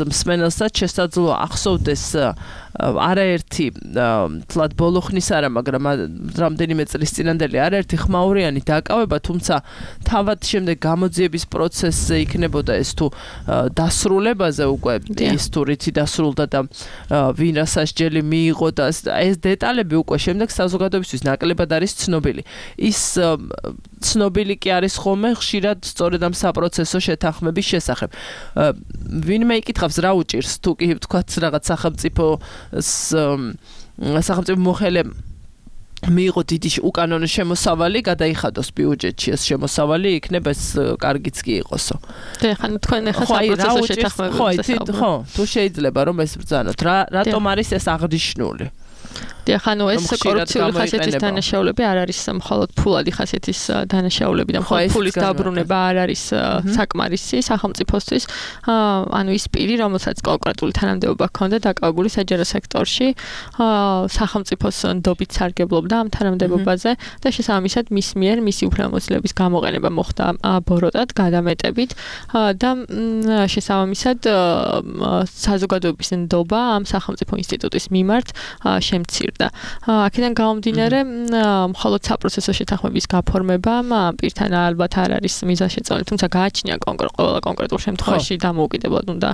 C: მსმენელსაც შესაძლოა ახსოვდეს არაერთი თლად ბოლო ხნის არა, მაგრამ რამდენიმე წლის წინანდელი არაერთი ხმაურიანი დაკავება, თუმცა თავად შემდეგ გამოძიების პროცესზე იქნებოდა ეს თუ დასრულებაზე უკვე ის თუ რითი დასრულდა და ვინ რა სასჯელი მიიღო და ეს დეტალები უკვე შემდეგ საზოგადოებისთვის ნაკლებად არის ცნობილი. ის ცნობილი კი არის ხოლმე ხშირად სწორედ ამ საპროცესო შეთანხმების შესახებ. ვინმე იკითხავს რა უჭირს თუ კი ვთქვათ რაღაც სახელმწიფო მოხელემ მიიღო დიდი უკანონო შემოსავალი, გადაიხადოს ბიუჯეტში ეს შემოსავალი, იქნება ეს კარგიც კი იყოსო.
E: ხან თქვენ ახლა საპროცესო შეთანხმებებზე
C: ხო, თუ შეიძლება რომ ეს ბრძანოთ, რატომ არის ეს აღნიშნული?
E: ხან ეს კორუფციული ხასიათის დანაშაულები არ არის მხოლოდ ფულადი ხასიათის დანაშაულები და მხოლოდ ფულის დაბრუნება არ არის საკმარისი სახელმწიფოსთვის. ანუ ის პირი, რომელსაც კონკრეტული თანამდებობა ჰქონდა დაკავებული საჯარო სექტორში, სახელმწიფოს ნდობით სარგებლობდა ამ თანამდებობაზე და შესაბამისად მის მიერ მისი უფლებამოსილების გამოყენება მოხდა ბოროტად, გადამეტებით და შესაბამისად საზოგადოების ნდობა ამ სახელმწიფო ინსტიტუტის მიმართ შემცირდა. აქედან გამომდინარე, მხოლოდ საპროცესო შეთანხმების გაფორმებამ პირთან ალბათ არ არის მიზანშეწონილი, თუმცა გააჩნია ყველა კონკრეტულ შემთხვევაში დამოუკიდებლად უნდა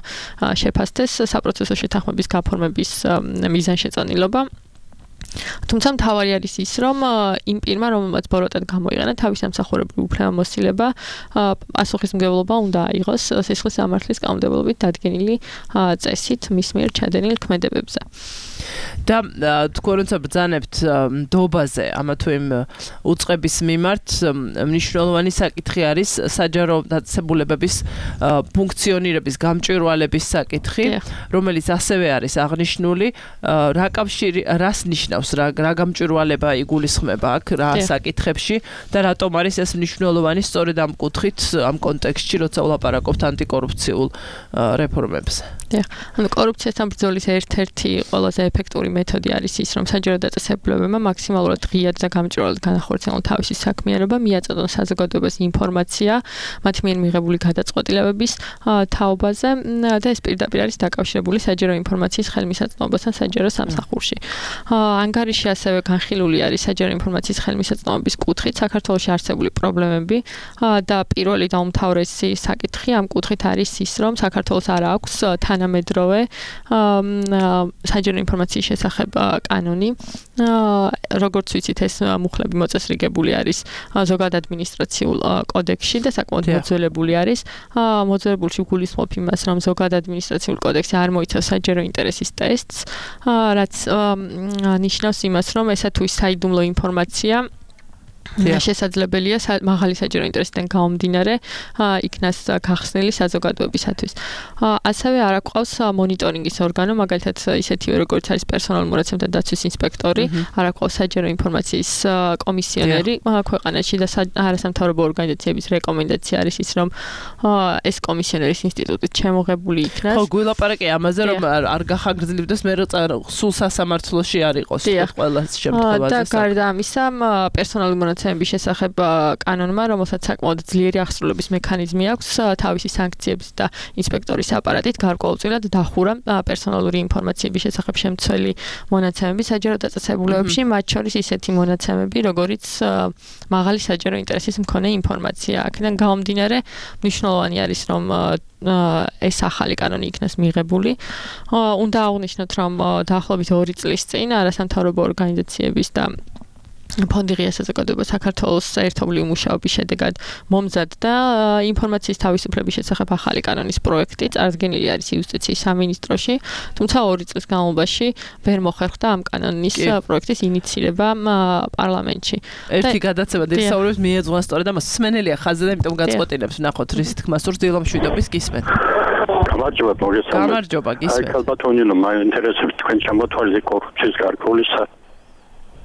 E: შეფასდეს საპროცესო შეთანხმების გაფორმების მიზანშეწონილობა. თუმცა მთავარი არის ის, რომ იმ პირმა, რომელმაც ბოროტად გამოიყენა თავის სამსახურებრივი უფლებამოსილება, პასუხისმგებლობა უნდა აიღოს სისხლის სამართლის კანონმდებლობით დადგენილი წესით მის მიერ ჩადენილ ქმედებებზე.
C: და თქვენ როცა ბრძანებთ ნდობაზე ამა თუ იმ უწყების მიმართ მნიშვნელოვანი საკითხი არის საჯარო დაწესებულებების ფუნქციონირების გამჭვირვალების საკითხი, რომელიც ასევე არის აღნიშნული, რა კავშირი რას ნიშნავს, რა გამჭვირვალება იგულისხმება აქ რა საკითხებში და რატომ არის ეს მნიშვნელოვანი სწორედ ამ კუთხით, ამ კონტექსტში, როცა ვლაპარაკობთ ანტიკორუფციულ რეფორმებზე.
E: ანუ კორუფციასთან ბრძოლის ერთ-ერთი ყველაზე ეფექტური მეთოდი არის ის, რომ საჯარო დაწესებულებებმა მაქსიმალურად ღიად და გამჭვირვალედ განახორციელონ თავისი საქმიანობა, მიაწოდონ საზოგადოებას ინფორმაცია მათ მიერ მიღებული გადაწყვეტილებების თაობაზე და ეს პირდაპირ არის დაკავშირებული საჯარო ინფორმაციის ხელმისაწვდომობასთან საჯარო სამსახურში. ანგარიში ასევე განხილული არის საჯარო ინფორმაციის ხელმისაწვდომობის კუთხით საქართველოში არსებული პრობლემები და პირველი და უმთავრესი საკითხი ამ კუთხით არის ის, რომ საქართველოს არ აქვს თანამედროვე საჯარო ინფორმაციის შესახებ კანონი. როგორც ვიცით, ეს მუხლები მოწესრიგებული არის ზოგად ადმინისტრაციულ კოდექსში და საკმაოდ მოძველებული არის. მოძველებულში გულისხმობ იმას, რომ ზოგად ადმინისტრაციულ კოდექსი არ მოიცავს საჯარო ინტერესის ტესტს, რაც ნიშნავს იმას, რომ ესა თუ საიდუმლო ინფორმაცია შესაძლებელია მაღალი საჯარო ინტერესიდან გამომდინარე იქნას გახსნილი საზოგადოებისათვის. ასევე არ აყავს მონიტორინგის ორგანო, მაგალითად ისეთივე როგორც არის პერსონალურ მონაცემთა დაცვის ინსპექტორი, არ აყავს საჯარო ინფორმაციის კომისიონერი ქვეყანაში და არასამთავრობო ორგანიზაციების რეკომენდაცია არის ის, რომ ეს კომისიონერის ინსტიტუტით შემოღებული იქნას.
C: ხო, გულაპარაკე ამაზე, რომ არ გახაგრძლებდეს მე სულ სასამართლოში არ იყოს ყველა შემთხვევაში.
E: და გარდა ამისა, პერსონალური მონაცემების შესახებ კანონმა, რომელსაც საკმაოდ ძლიერი აღსრულების მექანიზმი აქვს, თავისი სანქციების და ინსპექტორის აპარატით გარკვეულწილად დახურა პერსონალური ინფორმაციების შესახებ შემცველი მონაცემები საჯარო დაწესებულებებში, მათ შორის ისეთი მონაცემები, როგორიც მაღალი საჯარო ინტერესის მქონე ინფორმაცია. აქედან გამომდინარე, მნიშვნელოვანი არის, რომ ეს ახალი კანონი იქნას მიღებული. უნდა აღვნიშნოთ, რომ დაახლოებით 2 წლის წინ არასამთავრობო ორგანიზაციების და ფონდი ღია საზოგადოება საქართველოს ერთობლივი მუშაობის შედეგად მომზადდა ინფორმაციის თავისუფლების შესახებ ახალი კანონის პროექტი, წარდგენილი არის იუსტიციის სამინისტროში, თუმცა 2 წლის განმავლობაში ვერ მოხერხდა ამ კანონის პროექტის ინიცირება პარლამენტში.
C: ერთი გადაცემა დისაუბრებს მიეძღვნა სწორედ ამას. სმენელია ხაზზე და იმიტომ გაწყვეტილებს ვნახოთ რის თქმა სურს დილამშვიდობის გისმენთ. გამარჯობა, გისმენთ.
K: აი, ბატონო, მაინტერესებს თქვენ ჩამოთვალე კორუფციის გარკვეულისა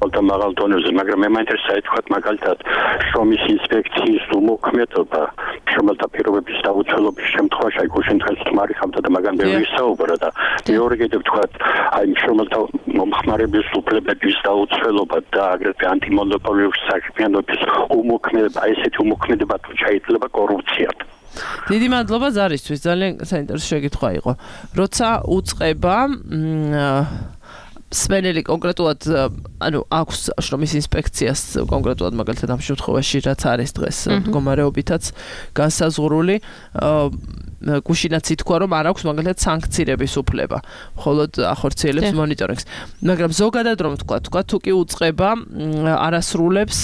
K: და მაღალ დონეზე, მაგრამ მე მაინტერესებს თქვათ მაგალითად შრომის ინსპექციის უმოქმედობა, შრომელთა პირობების დაუცველობის შემთხვევაში, აი გუშინ დღეს თმარიხავდა და მაგან ბევრი საუბრა და მეორე კიდევ თქვათ, აი შრომელთა მომხმარების უფლებების დაუცველობა და აგრეთვე ანტიმონოპოლიური საქმიანობის უმოქმედება, ესეთი უმოქმედება თუ შეიძლება კორუფციად.
C: დიდი მადლობა ზარისთვის, ძალიან საინტერესო შეკითხვა იყო. როცა უწყება სპენელი კონკრეტულად, ანუ აქვს შრომის ინსპექციას კონკრეტულად მაგალითად ამ შემთხვევაში რაც არის დღეს მდგომარეობითაც განსაზღვრული, გუშინაც ითქვა, რომ არ აქვს მაგალითად სანქცირების უფლება, მხოლოდ ახორციელებს მონიტორინგს. მაგრამ ზოგადად რომ თქვა, თუ კი უწყება არასრულებს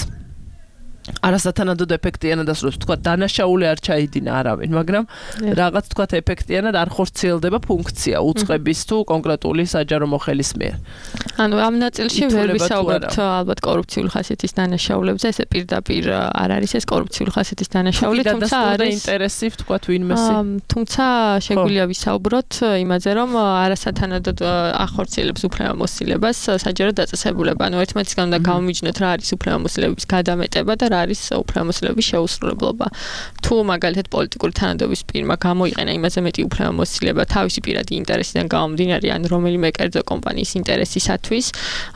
C: არასათანადოდ ეფექტიანად ასრულებს, თქვა დანაშაული არ ჩაიდინა არავინ, მაგრამ რაღაც თქვა ეფექტიანად არ ხორციელდება ფუნქცია უწყების თუ კონკრეტული საჯარო მოხელის მიერ.
E: ანუ ამ ნაწილში ვერ ვისაუბრებთ ალბათ კორუფციული ხასიათის დანაშაულებზე, ეს პირდაპირ არ არის ეს კორუფციული ხასიათის დანაშაული, თუმცა არის
C: ინტერესი თქვა ვინმესი.
E: თუმცა შეგვიძლია ვისაუბროთ იმაზე, რომ არასათანადოდ ახორციელებს უფლებამოსილებას საჯარო დაწესებულება. ანუ ერთმანეთისგან უნდა გამომიჯნოთ რა არის უფლებამოსილების გადამეტება და არის უფლებამოსილების შეუსრულებლობა. თუ მაგალითად პოლიტიკური თანადობის პირმა გამოიყენა იმაზე მეტი უფლებამოსილება თავისი პირადი ინტერესიდან გამომდინარე, ან რომელიმე კერძო კომპანიის ინტერესისათვის,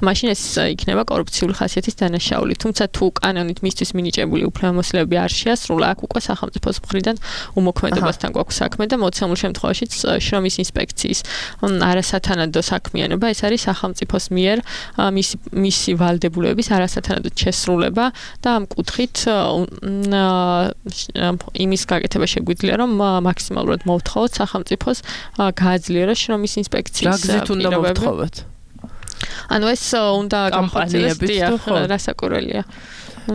E: მაშინ ეს იქნება კორუფციული ხასიათის დანაშაული. თუმცა თუ კანონით მისთვის მინიჭებული უფლებამოსილებები არ შეასრულა, აქ უკვე სახელმწიფოს მხრიდან უმოქმედებასთან გვაქვს საქმე და მოცემულ შემთხვევაშიც შრომის ინსპექციის არასათანადო საქმიანობა, ეს არის სახელმწიფოს მიერ მისი ვალდებულების არასათანადოდ შესრულება და ამ კუთხით იმის გაკეთება შეგვიძლია, რომ მაქსიმალურად მოვთხოვოთ სახელმწიფოს გააძლიეროს შრომის ინსპექციის
C: რა გზით უნდა მოვთხოვოთ?
E: ანუ ეს უნდა
C: კამპანიების თუ
E: რასაკურველია.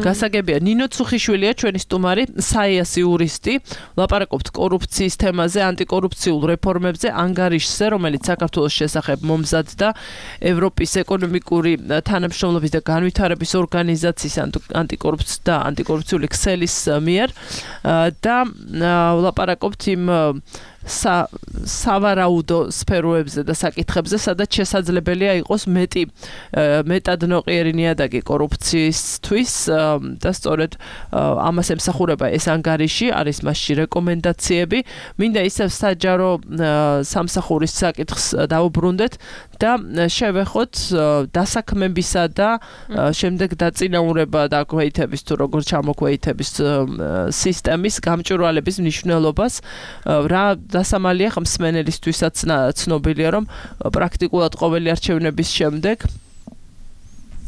C: გასაგებია ნინო ცუხიშვილია ჩვენი სტუმარი, საიას იურისტი, ლაპარაკობთ კორუფციის თემაზე, ანტიკორუფციულ რეფორმებზე, ანგარიშზე, რომელიც საქართველოს შესახებ მომზადდა ევროპის ეკონომიკური თანამშრომლობის და განვითარების ორგანიზაციის ანტიკორუფციული ქსელის მიერ და ლაპარაკობთ იმ სავარაუდო სფეროებზე და საკითხებზე, სადაც შესაძლებელია იყოს მეტად ნოყიერი ნიადაგი კორუფციისთვის და სწორედ ამას ემსახურება ეს ანგარიში, არის მასში რეკომენდაციები. მინდა ისევ საჯარო სამსახურის საკითხს დავუბრუნდეთ და შევეხოთ დასაქმებისა და შემდეგ დაწინაურება და აკვეითების თუ როგორ ჩამოკვეითების სისტემის გამჭვირვალების მნიშვნელობას, რა დასამალია ხმსმენელისთვისაც ცნობილია, რომ პრაქტიკულად ყოველი არჩევნების შემდეგ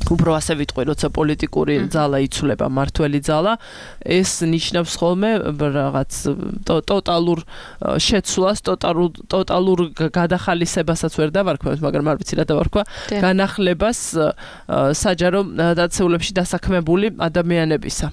C: უფრო ასე ვიტყვი, როცა პოლიტიკური ძალა იცვლება, მართველი ძალა, ეს ნიშნავს ხოლმე რაღაც ტოტალურ შეცვლას, ტოტალურ გადახალისებასაც ვერ დავარქვევთ, მაგრამ არ ვიცი რა დავარქვა, განახლებას საჯარო დაწესებულებში დასაქმებული ადამიანებისა.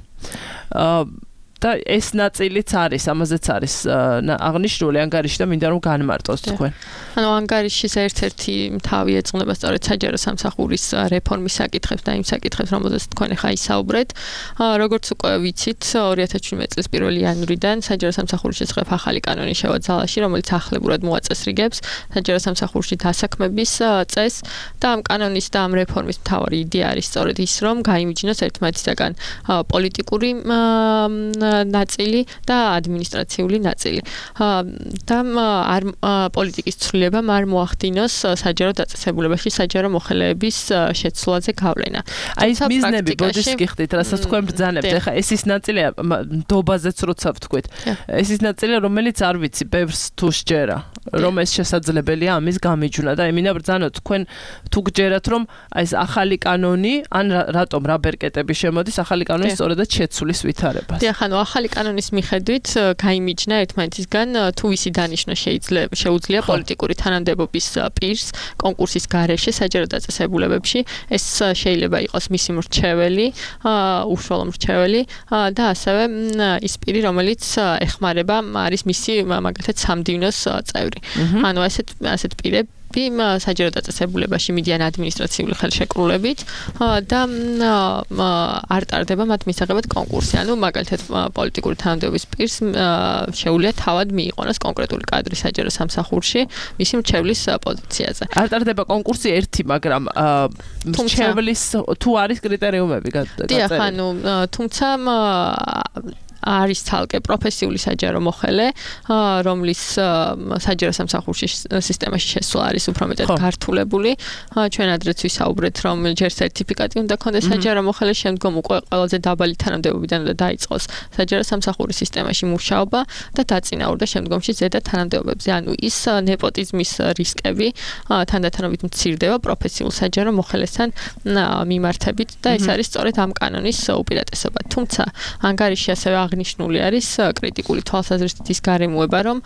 C: და ეს ნაწილიც არის, ამაზეც არის აღნიშნული ანგარიში და მინდა რომ განმარტოს თქვენ.
E: ანუ ანგარიშის ერთ-ერთი თავი ეძღვნება სწორედ საჯარო სამსახურის რეფორმის საკითხებს და იმ საკითხებს, რომელზეც თქვენ ახლა ისაუბრეთ. როგორც უკვე ვიცით, 2017 წლის 1 იანვრიდან საჯარო სამსახურის შესახებ ახალი კანონი შევა ძალაში, რომელიც ახლებურად მოაწესრიგებს საჯარო სამსახურში დასაქმების წესს და ამ კანონის და ამ რეფორმის მთავარი იდეა არის სწორედ ის, რომ გაიმიჯნოს ერთმანეთისაგან პოლიტიკური ნაწილი და ადმინისტრაციული ნაწილი. და პოლიტიკის ცვლილებამ არ მოახდინოს საჯარო დაწესებულებაში საჯარო მოხელეების შეცვლაზე გავლენა.
C: აი ეს მიზნები ბოდის გიხდით, რასაც თქვენ ბრძანებთ. ეხლა ეს ის ნაწილია დობაზეც როცა ვთქვით. ეს ის ნაწილია, რომელიც არ ვიცი, ბევრს თუ შეჯერა, რომ ეს შესაძლებელია ამის გამიჯვნა და მინდა ბრძანოთ თქვენ თუ გჯერათ, რომ აი ეს ახალი კანონი, ან რატომ რა ბერკეტები შემოდის ახალი კანონის სწორედაც შეცვლის ვითარებას.
E: ანუ ახალი კანონის მიხედვით გაიმიჯნა ერთმანეთისგან თუ ვისი დანიშნა შეუძლია პოლიტიკური თანამდებობის პირს კონკურსის გარეშე საჯარო დაწესებულებებში. ეს შეიძლება იყოს მისი მრჩეველი, უშუალო მრჩეველი და ასევე ის პირი, რომელიც ეხმარება, არის მისი მაგალითად სამდივნოს წევრი. ანუ ასეთ პირები საჯარო დაწესებულებაში მიდიან ადმინისტრაციული ხელშეკრულებით და არ ტარდება მათ მისაღებად კონკურსი. ანუ მაგალითად პოლიტიკური თანამდებობის პირს შეუძლია თავად მიიყონოს კონკრეტული კადრი საჯარო სამსახურში მისი მრჩევლის პოზიციაზე.
C: არ ტარდება კონკურსი ერთი, მაგრამ მრჩევლის თუ არის კრიტერიუმები გაწერილი.
E: დიახ, ანუ თუმცა არის თალკე პროფესიული საჯარო მოხელე, რომლის საჯარო სამსახურში სისტემაში შესვლა არის უფრო მეტად გართულებული. ჩვენ ადრეც ვისაუბრეთ, რომ ჯერ სერტიფიკატი უნდა ქონდეს საჯარო მოხელე, შემდგომ უკვე ყველაზე დაბალი თანამდებობიდან უნდა დაიწყოს საჯარო სამსახურის სისტემაში მუშაობა და დაწინაურდა შემდგომში ზედა თანამდებობებზე. ანუ ის ნეპოტიზმის რისკები თანდათანობით მცირდება პროფესიულ საჯარო მოხელესთან მიმართებით და ეს არის სწორედ ამ კანონის უპირატესობა. თუმცა ანგარიში ასევე აღნიშნული არის კრიტიკული თვალსაზრისით ის გარემოება, რომ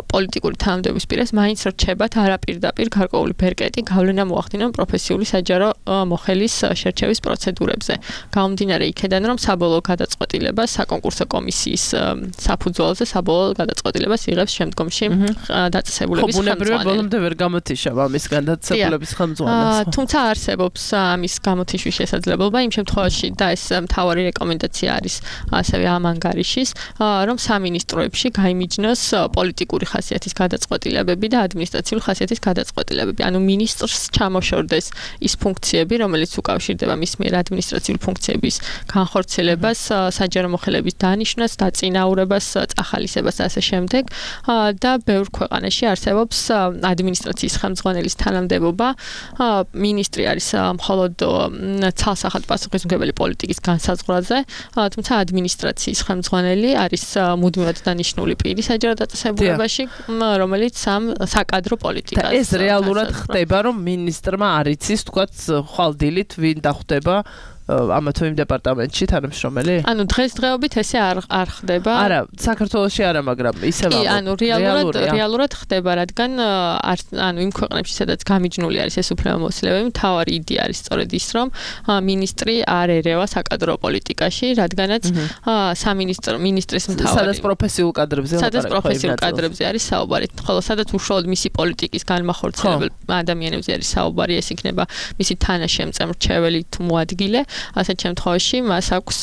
E: პოლიტიკური თანამდებობის პირას მაინც რჩებათ არაპირდაპირ გარკვეული ბერკეტი გავლენა მოახდინონ პროფესიული საჯარო მოხელის შერჩევის პროცედურებზე. გამომდინარე იქედან, რომ საბოლოო გადაწყვეტილებას საკონკურსო კომისიის საფუძველზე საბოლოო გადაწყვეტილებას იღებს შემდგომში დაწესებულების ხელმძღვანელი.
C: ბოლომდე ვერ გამოთიშავ ამის გადაწესებულების ხელმძღვანელს.
E: თუმცა არსებობს ამის გამოთიშვის შესაძლებლობა იმ შემთხვევაში და ეს მთავარი რეკომენდაცია არის ასევე ამ ანგარიშის, რომ სამინისტროებში გაიმიჯნოს პოლიტიკური ხასიათის გადაწყვეტილებები და ადმინისტრაციული ხასიათის გადაწყვეტილებები. ანუ მინისტრს ჩამოშორდეს ის ფუნქციები, რომელიც უკავშირდება მის მიერ ადმინისტრაციული ფუნქციების განხორციელებას, საჯარო მოხელეების დანიშვნას, დაწინაურებას, წახალისებას და ასე შემდეგ. და ბევრ ქვეყანაში არსებობს ადმინისტრაციის ხელმძღვანელის თანამდებობა. მინისტრი არის მხოლოდ ცალსახად პასუხისმგებელი პოლიტიკის განსაზღვრაზე, თუმცა ადმინისტრაციის ხელმძღვანელი არის მუდმივად დანიშნული პირი საჯარო დაწესებულებაში, რომელიც საკადრო პოლიტიკას.
C: ეს რეალურად ხდება, რომ მინისტრმა არ იცის, თქვათ, ხვალდილით ვინ დახვდება ამა თუ იმ დეპარტამენტში თანამშრომელი?
E: ანუ დღესდღეობით ესე არ ხდება.
C: არა, საქართველოში არა, მაგრამ ისევ
E: კი, ანუ რეალურად ხდება, რადგან ანუ იმ ქვეყნებში, სადაც გამიჯნული არის ეს უფლებამოსილებები, მთავარი იდეა არის სწორედ ის, რომ მინისტრი არ ერევა საკადრო პოლიტიკაში, რადგანაც მინისტრის მთავარი
C: სადაც პროფესიულ
E: კადრებზე არის საუბარი, ხოლო სადაც უშუალოდ მისი პოლიტიკის განმახორციელებელ ადამიანებზე არის საუბარი, ეს იქნება მისი თანაშემწემრჩეველი თუ მოადგილე, ასეთ შემთხვევაში მას აქვს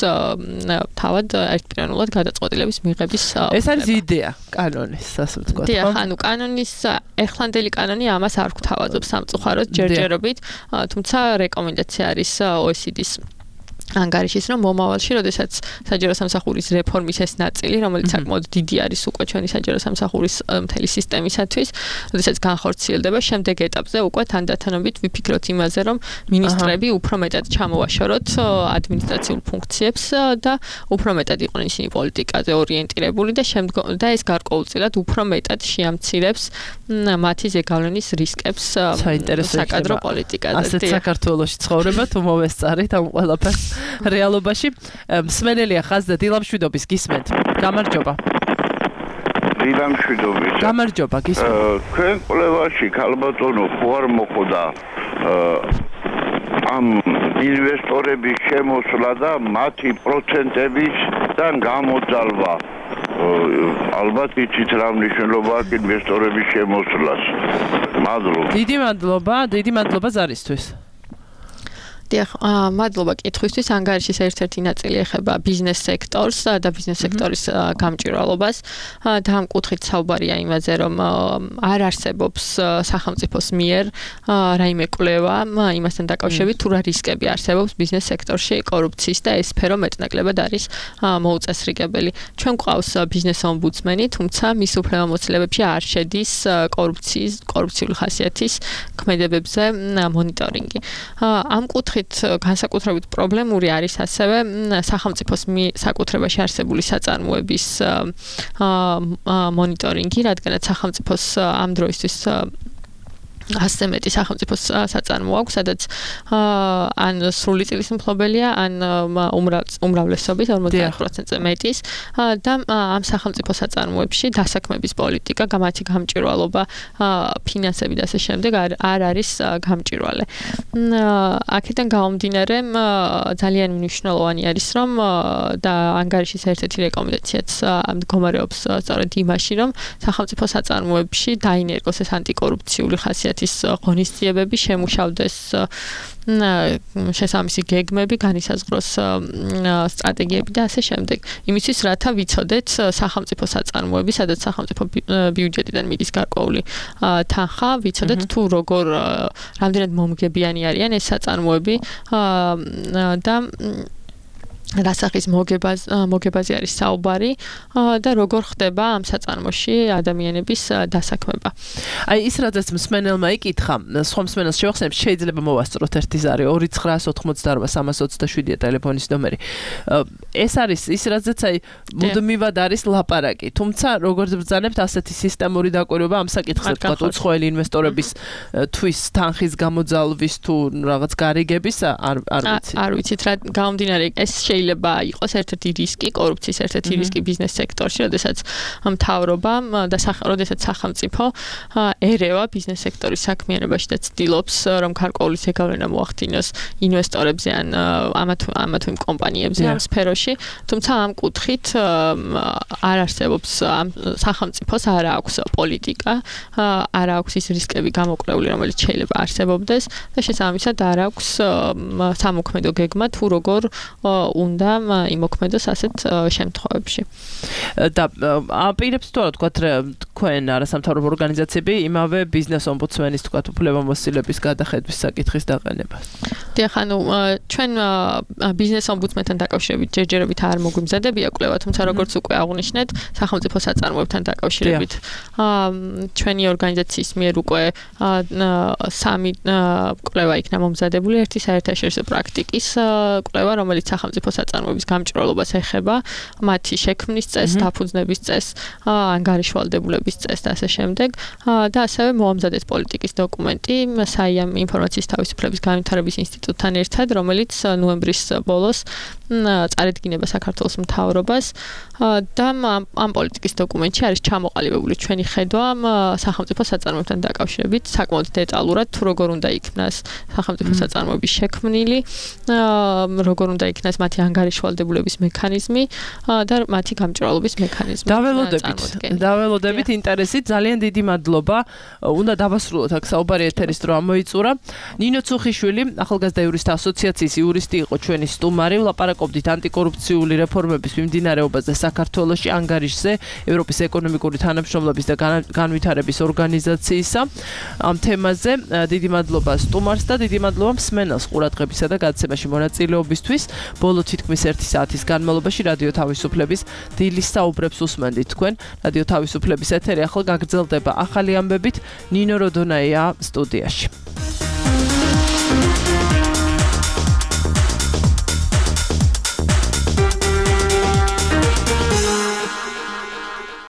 E: თავად ერთპიროვნულად გადაწყვეტილების მიღების
C: ეს არის იდეა კანონის, ასე ვთქვათ.
E: დიახ, ანუ კანონის ეხლანდელი კანონი ამას არ გვთავაზობს სამწუხაროდ ჯერჯერობით, თუმცა რეკომენდაცია არის OECD-ის ანგარიშის, რომ მომავალში, როდესაც საჯარო სამსახურის რეფორმის ეს ნაწილი, რომელიც საკმაოდ დიდი არის უკვე ჩვენი საჯარო სამსახურის მთელი სისტემისათვის, როდესაც განხორციელდება, შემდეგ ეტაპზე უკვე თანდათანობით ვიფიქროთ იმაზე, რომ მინისტრები უფრო მეტად ჩამოვაშოროთ ადმინისტრაციულ ფუნქციებს და უფრო მეტად იყვნენ ისინი პოლიტიკაზე ორიენტირებული და ეს გარკვეულწილად უფრო მეტად შეამცირებს მათი ზეგავლენის რისკებს საკადრო პოლიტიკაზე.
C: ასეთ საქართველოში ცხოვრება თუ მოვესწარით ამ ყველაფერს რეალობაში მსმენელია ხაზზე დილამშვიდობის გისმენთ. გამარჯობა.
L: დილამშვიდობის.
C: გამარჯობა, გისმენთ.
L: თქვენ კვლევაში ქალბატონო ხო არ მოხდა ამ ინვესტორების შემოსვლა და მათი პროცენტებისგან გამოძალვა. ალბათ იცით რა მნიშვნელობა აქვს ინვესტორების შემოსვლას. მადლობა.
C: დიდი მადლობა ზარისთვის.
E: დიახ, მადლობა კითხვისთვის. ანგარიშის ერთ-ერთი ნაწილი ეხება ბიზნეს სექტორს და ბიზნეს სექტორის გამჭვირვალობას და ამ კუთხით საუბარია იმაზე, რომ არ არსებობს სახელმწიფოს მიერ რაიმე კვლევა იმასთან დაკავშირებით, თუ რა რისკები არსებობს ბიზნეს სექტორში კორუფციის და ეს სფერო მეტნაკლებად არის მოუწესრიგებელი. ჩვენ გვყავს ბიზნეს ომბუდსმენი, თუმცა მის უფლებამოსილებებში არ შედის კორუფციული ხასიათის ქმედებებზე მონიტორინგი. ამ კუთხით განსაკუთრებით პრობლემური არის ასევე სახელმწიფოს საკუთრებაში არსებული საწარმოების მონიტორინგი, რადგანაც სახელმწიფოს ამ დროისთვის ასე მეტი სახელმწიფოს საწარმო აქვს, სადაც ან სრული წილის მფლობელია, ან უმრავლესობის 50%-ზე მეტის და ამ სახელმწიფო საწარმოებში დასაქმების პოლიტიკა, მათი გამჭვირვალობა, ფინანსები და ასე შემდეგ არ არის გამჭვირვალე. აქედან გამომდინარე, ძალიან მნიშვნელოვანი არის, რომ და ანგარიშის ერთ-ერთი რეკომენდაციაც მდგომარეობს სწორედ იმაში, რომ სახელმწიფო საწარმოებში დაინერგოს ეს ანტიკორუფციული ხასიათი ღონისძიებები, შემუშავდეს შესაბამისი გეგმები, განისაზღვროს სტრატეგიები და ასე შემდეგ. იმისთვის, რათა ვიცოდეთ სახელმწიფო საწარმოები, სადაც სახელმწიფო ბიუჯეტიდან მიდის გარკვეული თანხა, ვიცოდეთ თუ რამდენად მომგებიანი არიან ეს საწარმოები და რა სახის მოგებაზე არის საუბარი და როგორ ხდება ამ საწარმოში ადამიანების დასაქმება.
C: აი ის რადგან მსმენელმა იკითხა, სხვა მსმენელს შევახსენებ, შეიძლება მოვასწროთ ერთი ზარი 2988327 ტელეფონის ნომერი. ეს არის ის რადგანაც აი მუდმივად არის ლაპარაკი, თუმცა როგორც ბრძანებთ ასეთი სისტემური დაკვირვება ამ საკითხზე, თქვა უცხოელი ინვესტორების თვის თანხის გამოძალვის თუ რაღაც გარიგების არ ვიცით.
E: არ ვიცით რა გამომდინარე ეს შეიძლება იყოს ერთ-ერთი რისკი, კორუფციის ერთ-ერთი რისკი ბიზნეს სექტორში, როდესაც მთავრობა და როდესაც სახელმწიფო ერევა ბიზნეს სექტორის საქმიანობაში და ცდილობს, რომ გარკვეული ზეგავლენა მოახდინოს ინვესტორებზე ან ამა თუ იმ კომპანიებზე ამ სფეროში, თუმცა ამ კუთხით არ არსებობს სახელმწიფოს არ აქვს პოლიტიკა, არ აქვს ის რისკები გამოკვლეული, რომელიც შეიძლება არსებობდეს და შესაბამისად არ აქვს სამოქმედო გეგმა თუ როგორ უნდა იმოქმედოს ასეთ შემთხვევებში.
C: და აპირებს თუ არა თქვა თქვენ არასამთავრობო ორგანიზაციები იმავე ბიზნეს ომბუდსმენის თქვა უფლებამოსილების გადახედვის საკითხის დაყენებას.
E: დიახ, ანუ ჩვენ ბიზნეს ომბუდსმენთან დაკავშირებით ჯერჯერობით არ მოგვიმზადებია კვლევა, თუმცა როგორც უკვე აღნიშნეთ, სახელმწიფო საწარმოებთან დაკავშირებით ჩვენი ორგანიზაციის მიერ უკვე 3 კვლევა იქნა მომზადებული, ერთი საერთაშორისო პრაქტიკის კვლევა, რომელიც სახელმწიფო საწარმოების გამჭვირვალობას ეხება, მათი შექმნის წესს, დაფუძნების წესს, ანგარიშვალდებულების განხილვის წესს და ასე შემდეგ. და ასევე მოამზადეს პოლიტიკის დოკუმენტი საიამ ინფორმაციის თავისუფლების განვითარების ინსტიტუტთან ერთად, რომელიც ნოემბრის ბოლოს წარედგინება საქართველოს მთავრობას და ამ პოლიტიკის დოკუმენტში არის ჩამოყალიბებული ჩვენი ხედვა სახელმწიფო საწარმოებთან დაკავშირებით საკმაოდ დეტალურად თუ როგორ უნდა იქნას სახელმწიფო საწარმოების შექმნილი, როგორ უნდა იქნას მათი ანგარიშვალდებულების მექანიზმი და მათი გამჭვირვალობის მექანიზმი.
C: დაველოდებით ინტერესით, ძალიან დიდი მადლობა. უნდა დავასრულოთ აქ საუბარი ეთერის დრო ამოიწურა. ნინო ცუხიშვილი, ახალგაზრდა იურისტთა ასოციაციის იურისტი იყო ჩვენი სტუმარი. ვლაპარაკობდით ანტიკორუფციული რეფორმების მიმდინარეობაზე საქართველოში, ანგარიშზე ევროპის ეკონომიკური თანამშრომლობის და განვითარების ორგანიზაციისა. ამ თემაზე დიდი მადლობა სტუმარს და დიდი მადლობა მსმენელს ყურადღებისა და გადაცემაში მონაწილეობისთვის. ბოლო თითქმის 1 საათის განმავლობაში რადიო თავისუფლების დილის საუბრებს უსმენდით თქვენ. რადიო თავისუფლების ეთერი ახლა გაგრძელდება ახალი ამბებით. ნინო როდონაია სტუდიაში.